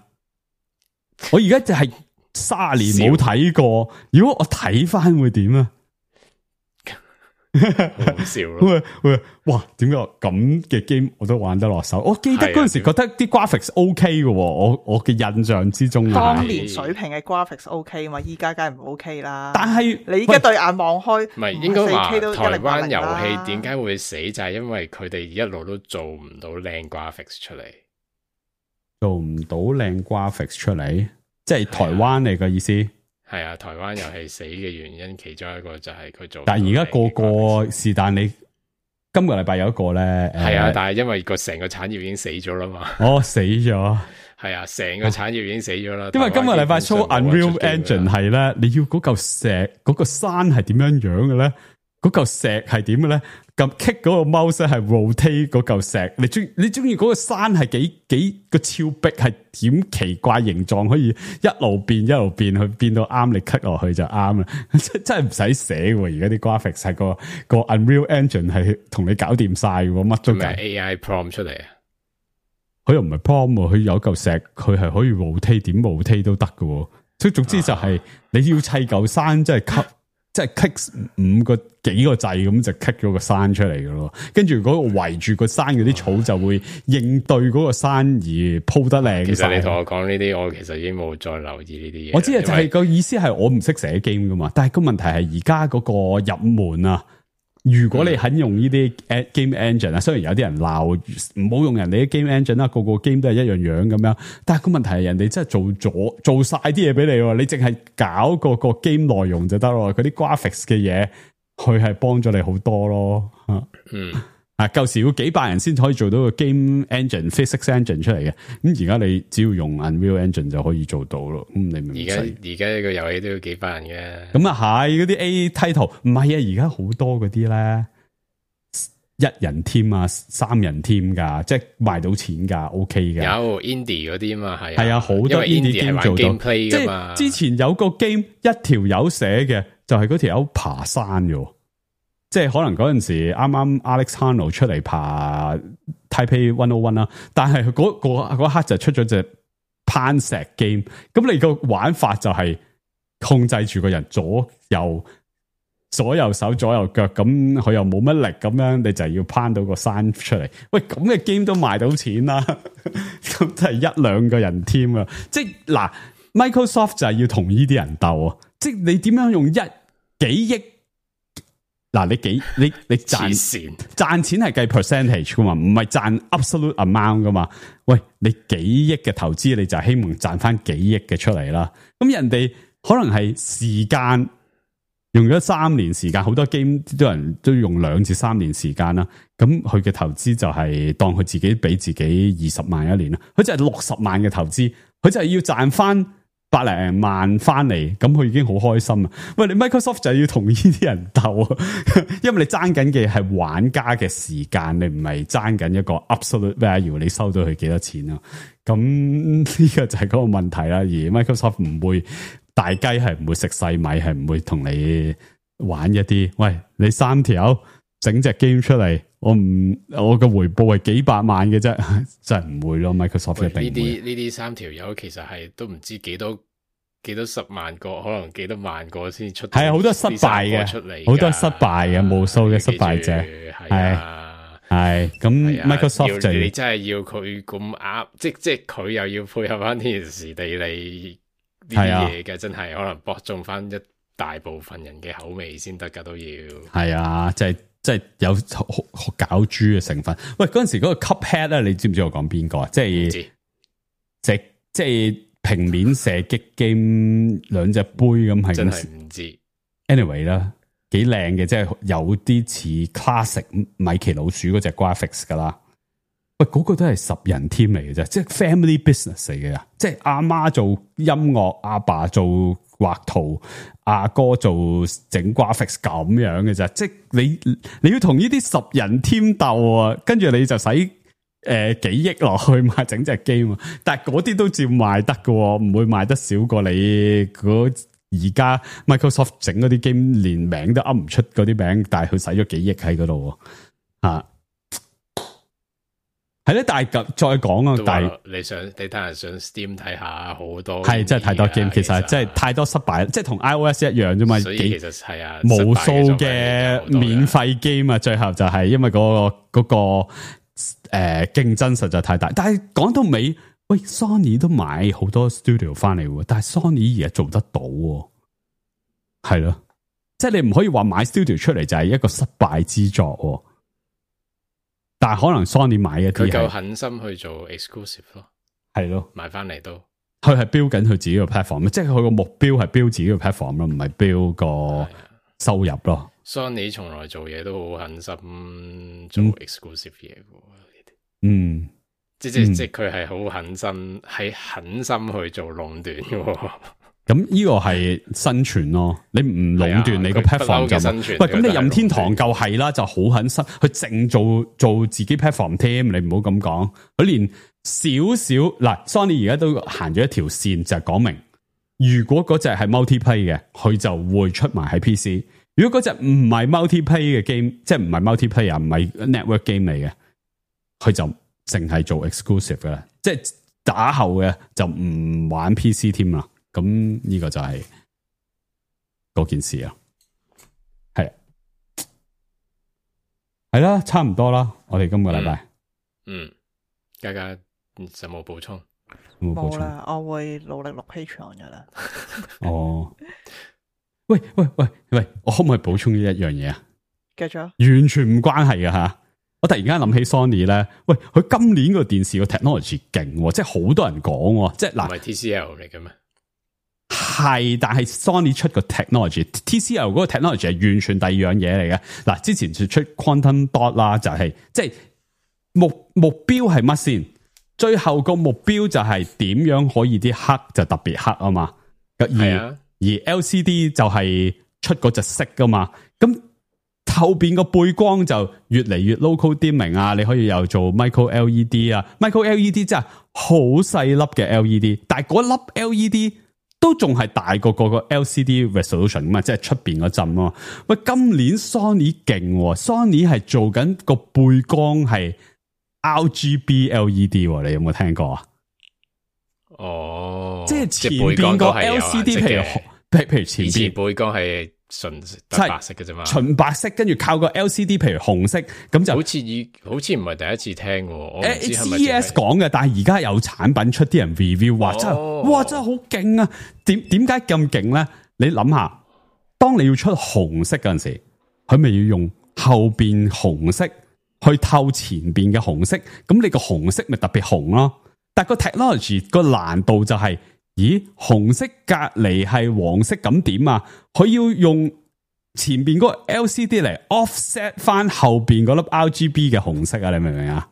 我而家就係卅年冇睇過，如果我睇翻會點啊？好笑咯！喂喂，哇，點解咁嘅 game 我都玩得落手？我記得嗰陣時覺得啲 graphics OK 嘅，我我嘅印象之中啊，當年水平嘅 graphics OK 嘛，依家梗係唔 OK 啦。但係你而家對眼望開，唔係應該話台灣遊戲戲點解會死，就係因為佢哋一路都做唔到靚 graphics 出嚟，做唔到靚 graphics 出嚟，即係台灣嚟嘅意思。係啊，台灣遊戲死嘅原因其中一個就係佢做，但係而家個個是但你今個禮拜有一個咧，係啊，但係因為個成個產業已經死咗啦嘛，哦死咗，係啊，成個產業已經死咗啦。因為今個禮拜 show Unreal Engine 係咧，你要嗰嚿石嗰、嗰個山係點樣樣嘅咧？嗰嚿石係點嘅咧？咁 kick 嗰個 mouse 係 rotate 嗰嚿石，你中你中意嗰個山係幾幾個峭壁係點奇怪形狀，可以一路變一路變，去變到啱你 kick 落去就啱啦。真真係唔使寫喎，而家啲 graphics 係個個 Unreal Engine 係同你搞掂晒喎，乜都計。A I prompt 出嚟啊？佢又唔係 prompt 喎，佢有嚿石，佢係可以 rotate 點 rotate 都得嘅。所以總之就係你要砌嚿山，即係 cut。即係 click 五個幾個掣咁就 click 咗個山出嚟嘅咯，跟住嗰個圍住個山嗰啲草就會應對嗰個山而鋪得靚。其實你同我講呢啲，我其實已經冇再留意呢啲嘢。我知啊，就係個意思係我唔識寫 game 噶嘛，但係個問題係而家嗰個入門啊。如果你肯用呢啲 game engine 啊，雖然有啲人鬧唔好用人哋啲 game engine 啦，個個 game 都係一樣樣咁樣，但係個問題係人哋真係做咗做晒啲嘢俾你，你淨係搞個個 game 內容就得咯，嗰啲 graphics 嘅嘢，佢係幫咗你好多咯。嗯，啊，舊時要幾百人先可以做到個 game engine physics engine 出嚟嘅，咁而家你只要用 Unreal Engine 就可以做到咯。咁你明？而家而家呢個遊戲都要幾百人嘅。咁啊係嗰啲 A title 唔係啊，而家好多嗰啲咧一人 team 啊，三人 team 噶，即係賣到錢噶 ，OK 嘅。有 indie 嗰啲嘛，係係啊，好多 indie game 做到。即係之前有個 game 一條友寫嘅，就係嗰條友爬山嘅。即係可能嗰陣時啱啱 Alex Honnold 出嚟爬 Taipei one oh one 啦，但係嗰嗰刻就出咗隻攀石 game， 咁你個玩法就係控制住個人左右左右手左右腳，咁佢又冇乜力咁樣，你就要攀到個山出嚟。喂，咁嘅 game 都賣到錢啦，咁就係一兩個人 team 啊！即係嗱 ，Microsoft 就係要同呢啲人鬥啊！即係你點樣用一幾億？嗱，你幾你你賺賺錢係計 percentage 噶嘛，唔係賺 absolute amount 噶嘛。喂，你幾億嘅投資，你就希望賺翻幾億嘅出嚟啦。咁人哋可能係時間用咗三年時間，好多 game 啲人都用兩至三年時間啦。咁佢嘅投資就係當佢自己俾自己二十萬一年啦，佢就係六十萬嘅投資，佢就係要賺翻百零萬翻嚟，咁佢已經好開心啊！喂，你 Microsoft 就要同呢啲人鬥啊，因為你爭緊嘅係玩家嘅時間，你唔係爭緊一個 absolute value， 你收到佢幾多錢啊？咁呢個就係嗰個問題啦。而 Microsoft 唔會大雞係唔會食細米，係唔會同你玩一啲，喂，你三條整隻 game 出嚟。我唔，我嘅回報係幾百萬嘅啫，真係唔會咯。Microsoft 一定唔會。呢啲呢啲三條友其實係都唔知幾多幾多十萬個，可能幾多萬個先出。係啊，好多失敗嘅出嚟，好多失敗嘅，無數嘅失敗者。係係咁 Microsoft 就你真係要佢咁啱，即即係佢又要配合翻天時地利呢啲嘢嘅，真係可能博中翻一大部分人嘅口味先得噶，都要。係啊，即係。即係有搞豬嘅成分。喂，嗰陣時嗰個 Cuphead 咧，你知唔知我講邊個啊？即係即即係平面射擊 game 兩隻杯咁係。真係唔知。anyway 啦，幾靚嘅，即係有啲似 classic 米奇老鼠嗰隻 graphics 噶啦。喂，嗰、嗰個都係十人 team 嚟嘅啫，即係 family business 嚟嘅，即係阿媽做音樂，阿爸做畫圖，阿哥做整 graphics 咁樣嘅啫。即係你你要同呢啲十人 team 鬥啊，跟住你就使誒、呃、幾億落去買整隻 game，但係嗰啲都照賣得嘅，唔會賣得少過你嗰而家 Microsoft 整嗰啲 game 連名都噏唔出嗰啲名，但係佢使咗幾億喺嗰度啊。係咧，但係再講啊，但係你想你睇下上 Steam 睇下好多係真係太多 game，其實真係太多失敗，即係同 iOS 一樣啫嘛。所以其實係啊，無數嘅免費 game 啊，最後就係因為嗰、嗰個嗰、嗰個誒競、呃、爭實在太大。但係講到尾，喂 ，Sony 都買好多 studio 翻嚟，但係 Sony 而家做得到，係咯，即係你唔可以話買 studio 出嚟就係一個失敗之作。但係可能 Sony 買一啲，佢夠狠心去做 exclusive 咯，係咯，買翻嚟都，佢係標緊佢自己個 platform，即係佢個目標係標自己個 platform 咯，唔係標個收入咯。Sony 從來做嘢都好狠心做 exclusive 嘢嘅，嗯，即即即佢係好狠心，係狠心去做壟斷嘅。咁呢個係生存咯，你唔壟斷你個 platform 就冇。喂，咁你任天堂就係啦，就好狠心，佢淨做做自己 platform team，你唔好咁講。佢連少少嗱 ，Sony 而家都行咗一條線，就係講明，如果嗰隻係 multiplayer 嘅，佢就會出埋喺 P C。如果嗰隻唔係 multiplayer 嘅 game，即係唔係 multiplayer，唔係 network game 嚟嘅，佢就淨係做 exclusive 噶啦，即係打後嘅就唔玩 P C 添啦。咁呢個就係嗰件事啊，係係啦，差唔多啦。我哋今個禮拜，嗯，家家有冇補充？冇啦，我會努力錄 Patreon 噶啦。哦，喂喂喂喂，我可唔可以補充呢一樣嘢啊？繼續，完全唔關係嘅吓。我突然間諗起 Sony 咧，喂，佢今年個電視個 technology 勁，即係好多人講，即係嗱，唔係 T C L 嚟嘅咩？係，但係 Sony 出個 technology，T C L 嗰個 technology 係完全第二樣嘢嚟嘅。嗱，之前就出 Quantum Dot 啦，就係即係目目標係乜先？最後個目標就係點樣可以啲黑就特別黑啊嘛。係啊，而 L C D 就係出嗰隻色噶嘛。咁後邊個背光就越嚟越 local dimming 啊，你可以又做 micro L E D 啊 ，micro L E D 真係好細粒嘅 L E D， 但係嗰粒 L E D 都仲係大過個個 L C D resolution 嘛，即係出邊嗰陣咯。喂，今年 Sony 勁 ，Sony 係做緊個背光係 R G B L E D， 你有冇聽過啊？哦，即係前邊個 L C D， 譬如譬如前邊背光係純白色嘅啫嘛，純白色，跟住靠個 L C D， 譬如紅色，咁就好似以好似唔係第一次聽，我唔知係咪 C E S 講嘅，但係而家有產品出，啲人 review 話真係、哦，哇真係好勁啊！點點解咁勁咧？你諗下，當你要出紅色嗰陣時，佢咪要用後邊紅色去透前邊嘅紅色，咁你個紅色咪特別紅咯？但係個 technology 個難度就係、是。咦，紅色隔籬係黃色咁點啊？佢要用前邊嗰個 L C D 嚟 offset 翻後邊嗰粒 R G B 嘅紅色啊！你明唔明啊？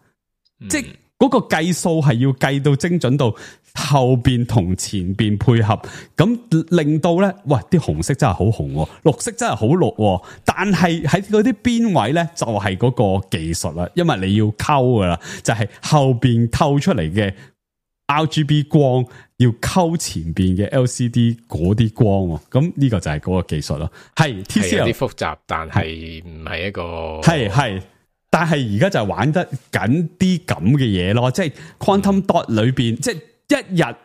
嗯、即係嗰個計數係要計到精準到後邊同前邊配合，咁令到咧，哇！啲紅色真係好紅喎，綠色真係好綠喎，但係喺嗰啲邊位咧就係嗰個技術啦，因為你要溝噶啦，就係後邊透出嚟嘅 R G B 光要溝前邊嘅 L C D 嗰啲光喎，咁呢個就係嗰個技術咯。係 T C L 有啲複雜，但係唔係一個係係。但係而家就係玩得緊啲咁嘅嘢咯，即係 Quantum Dot 裏邊，即係一日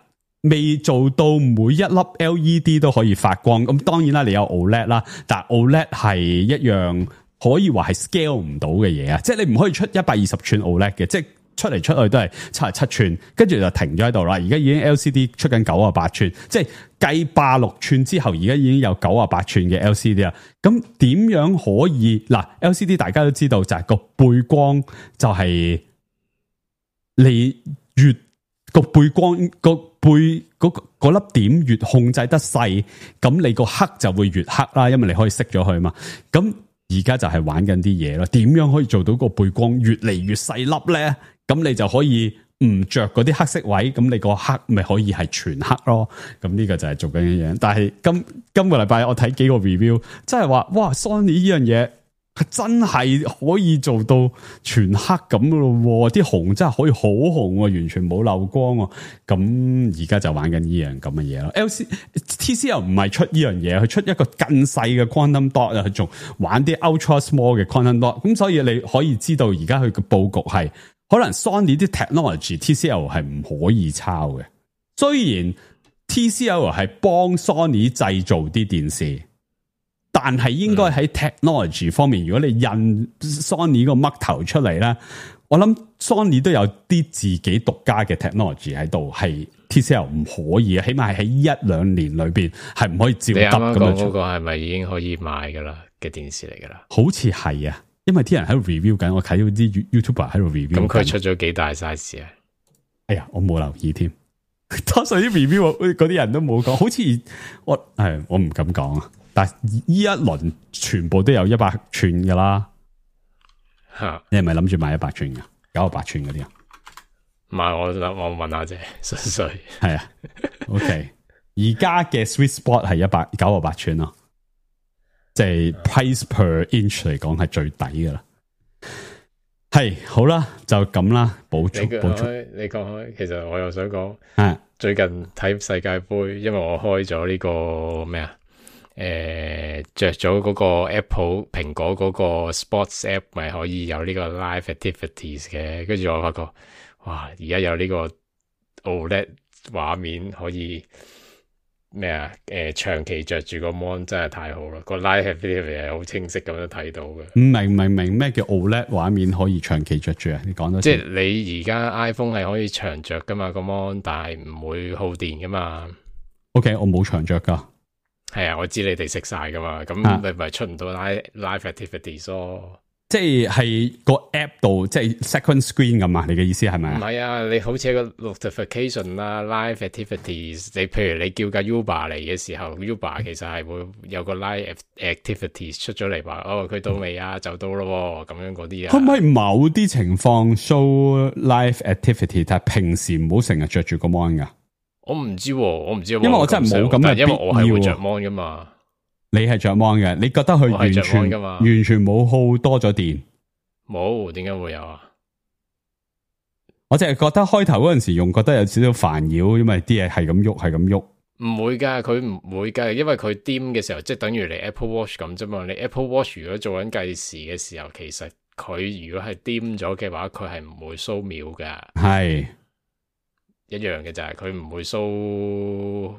未做到每一粒 L E D 都可以發光。咁當然啦，你有 O L E D 啦，但係 O L E D 係一樣可以話係 scale 唔到嘅嘢啊！即係你唔可以出一百二十寸 O L E D 嘅，即係出嚟出去都係七十七寸，跟住就停咗喺度啦。而家已經 L C D 出緊九十八寸，即係計八六寸之後，而家已經有九十八寸嘅 L C D 啦。咁點樣可以嗱 L C D 大家都知道就係個背光就係你越個背光個背嗰嗰粒點越控制得細，咁你個黑就會越黑啦，因為你可以熄咗佢嘛。咁而家就係玩緊啲嘢咯，點樣可以做到個背光越嚟越細粒咧？咁你就可以唔着嗰啲黑色位，咁你個黑咪可以係全黑咯。咁呢個就係做緊嘅嘢。但係今今個禮拜我睇幾個 review，真係話哇 Sony 呢樣嘢係真係可以做到全黑咁噶咯，啲紅真係可以好紅，完全冇漏光。咁而家就玩緊呢樣咁嘅嘢咯。L C T C L 唔係出呢樣嘢，佢出一個更細嘅 quantum dot 啊，佢仲玩啲 ultra small 嘅 quantum dot。咁所以你可以知道而家佢嘅布局係可能 Sony 啲 technology T C L 係唔可以抄嘅。雖然 T C L 係幫 Sony 製造啲電視。但係應該喺 technology 方面，如果你印 Sony 個嘜頭出嚟咧，我諗 Sony 都有啲自己獨家嘅 technology 喺度，係 T C L 唔可以，起碼係喺一兩年裏邊係唔可以照得咁樣。你啱啱講嗰個係咪已經可以買噶啦嘅電視嚟噶啦？好似係啊，因為啲人喺度 review 緊，我睇到啲 YouTuber 喺度 review。咁佢出咗幾大 size 啊？哎呀，我冇留意添。多數啲 review 嗰啲人都冇講，好似我係我唔敢講啊。但係呢一輪全部都有一百寸噶啦，吓你係咪諗住買一百寸噶？九十八寸嗰啲啊？唔係，我諗我問下啫，純粹係啊。OK， 而家嘅 Sweet Spot 係一百九十八寸咯，即係 price per inch 嚟講係最抵噶啦。係好啦，就咁啦，補充補充。你講開，其實我又想講，啊，最近睇世界盃，因為我開咗呢個咩啊？誒，着咗嗰個 Apple 蘋果嗰個 Sports App 咪可以有呢個 Live Activities 嘅，跟住我發覺，哇！而家有呢個 O L E D 畫面可以咩啊？誒、呃，長期着住個 mon 真係太好啦！個 Live Activities 係好清晰咁樣睇到嘅。唔明唔明明咩叫 O L E D 畫面可以長期着住啊？你講多次。即係你而家 iPhone 係可以長着噶嘛個 mon，但係唔會耗電噶嘛。OK， 我冇長着噶。係啊，我知你哋食晒噶嘛，咁你咪出唔到 live live activities 咯。即係係個 app 度，即係 second screen 咁啊？你嘅意思係咪啊？唔係啊，你好似一個 notification 啦 ，live activities。你譬如你叫架 Uber 嚟嘅時候 ，Uber 其實係會有個 live activities 出咗嚟話，哦，佢到未啊？就到咯，咁樣嗰啲啊。可唔可以某啲情況 show live activity？但係平時唔好成日着住個 mon 噶。我唔知，我唔知，因為我真係冇咁嘅必要。因為我係會着 mon 噶嘛。你係着 mon 嘅，你覺得佢完全完全冇耗多咗電？冇，點解會有啊？我淨係覺得開頭嗰陣時用，覺得有少少煩擾，因為啲嘢係咁喐，係咁喐。唔會噶，佢唔會噶，因為佢掂嘅時候，即係等於你 Apple Watch 咁啫嘛。你 Apple Watch 如果做緊計時嘅時候，其實佢如果係掂咗嘅話，佢係唔會掃秒噶。係。一樣嘅就係佢唔會 show，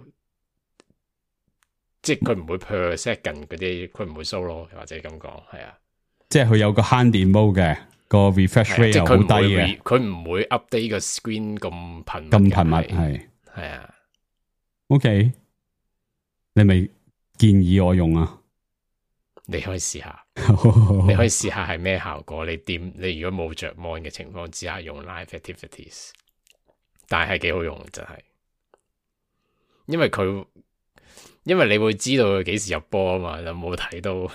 即係佢唔會 per second 嗰啲，佢唔會 show 咯，或者咁講，係啊。即係佢有個慳電 mode 嘅，個 refresh rate 又好低嘅，佢唔會 update 個 screen 咁頻咁頻密，係係啊。OK，你咪建議我用啊？你可以試下，你可以試下係咩效果？你掂你如果冇着 mon 嘅情況之下用 live activities。但係幾好用，真係，因為佢，因為你會知道佢幾時入波啊嘛，就冇睇到。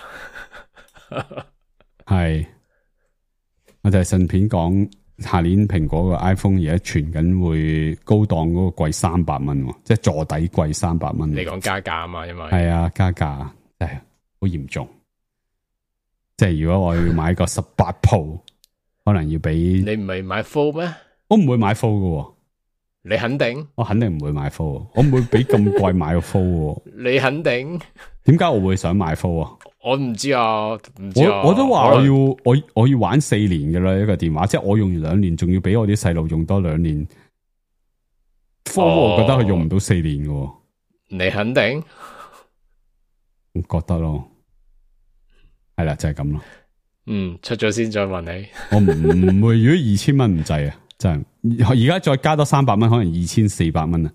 係，我就係順便講下年蘋果個 iPhone 而家傳緊會高檔嗰個貴三百蚊，即係坐底貴三百蚊。你講加價啊嘛，因為係啊，加價真係好嚴重。即係如果我要買個十八 Pro，可能要俾你唔係買 Full 咩？我唔會買 Full 嘅，你肯定？我肯定唔會買 Full，我唔會俾咁貴買個 Full。你肯定？點解我會想買 Full 啊？我唔知啊，唔知啊。我我都話我要我我要玩四年嘅啦，一個電話，即係我用完兩年，仲要俾我啲細路用多兩年。Full 我覺得佢用唔到四年嘅。你肯定？我覺得咯，係啦，就係咁咯。嗯，出咗先再問你。我唔唔會，如果二千蚊唔制啊，真係而家再加多三百蚊，可能二千四百蚊啊。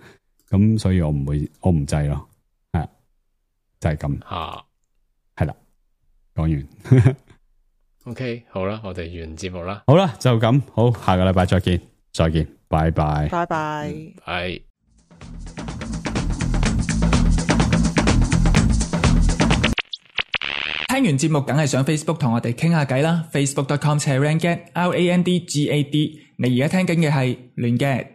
咁所以我唔會，我唔制咯。係就係咁吓，係啦，講完。OK，好啦，我哋完節目啦。好啦，就咁好，下個禮拜再見，再見，拜拜，拜拜。係。聽完節目梗係上 Facebook 同我哋傾下偈啦 ，facebook dot com slash randgad，R A N D G A D。你而家聽緊嘅係亂 gad。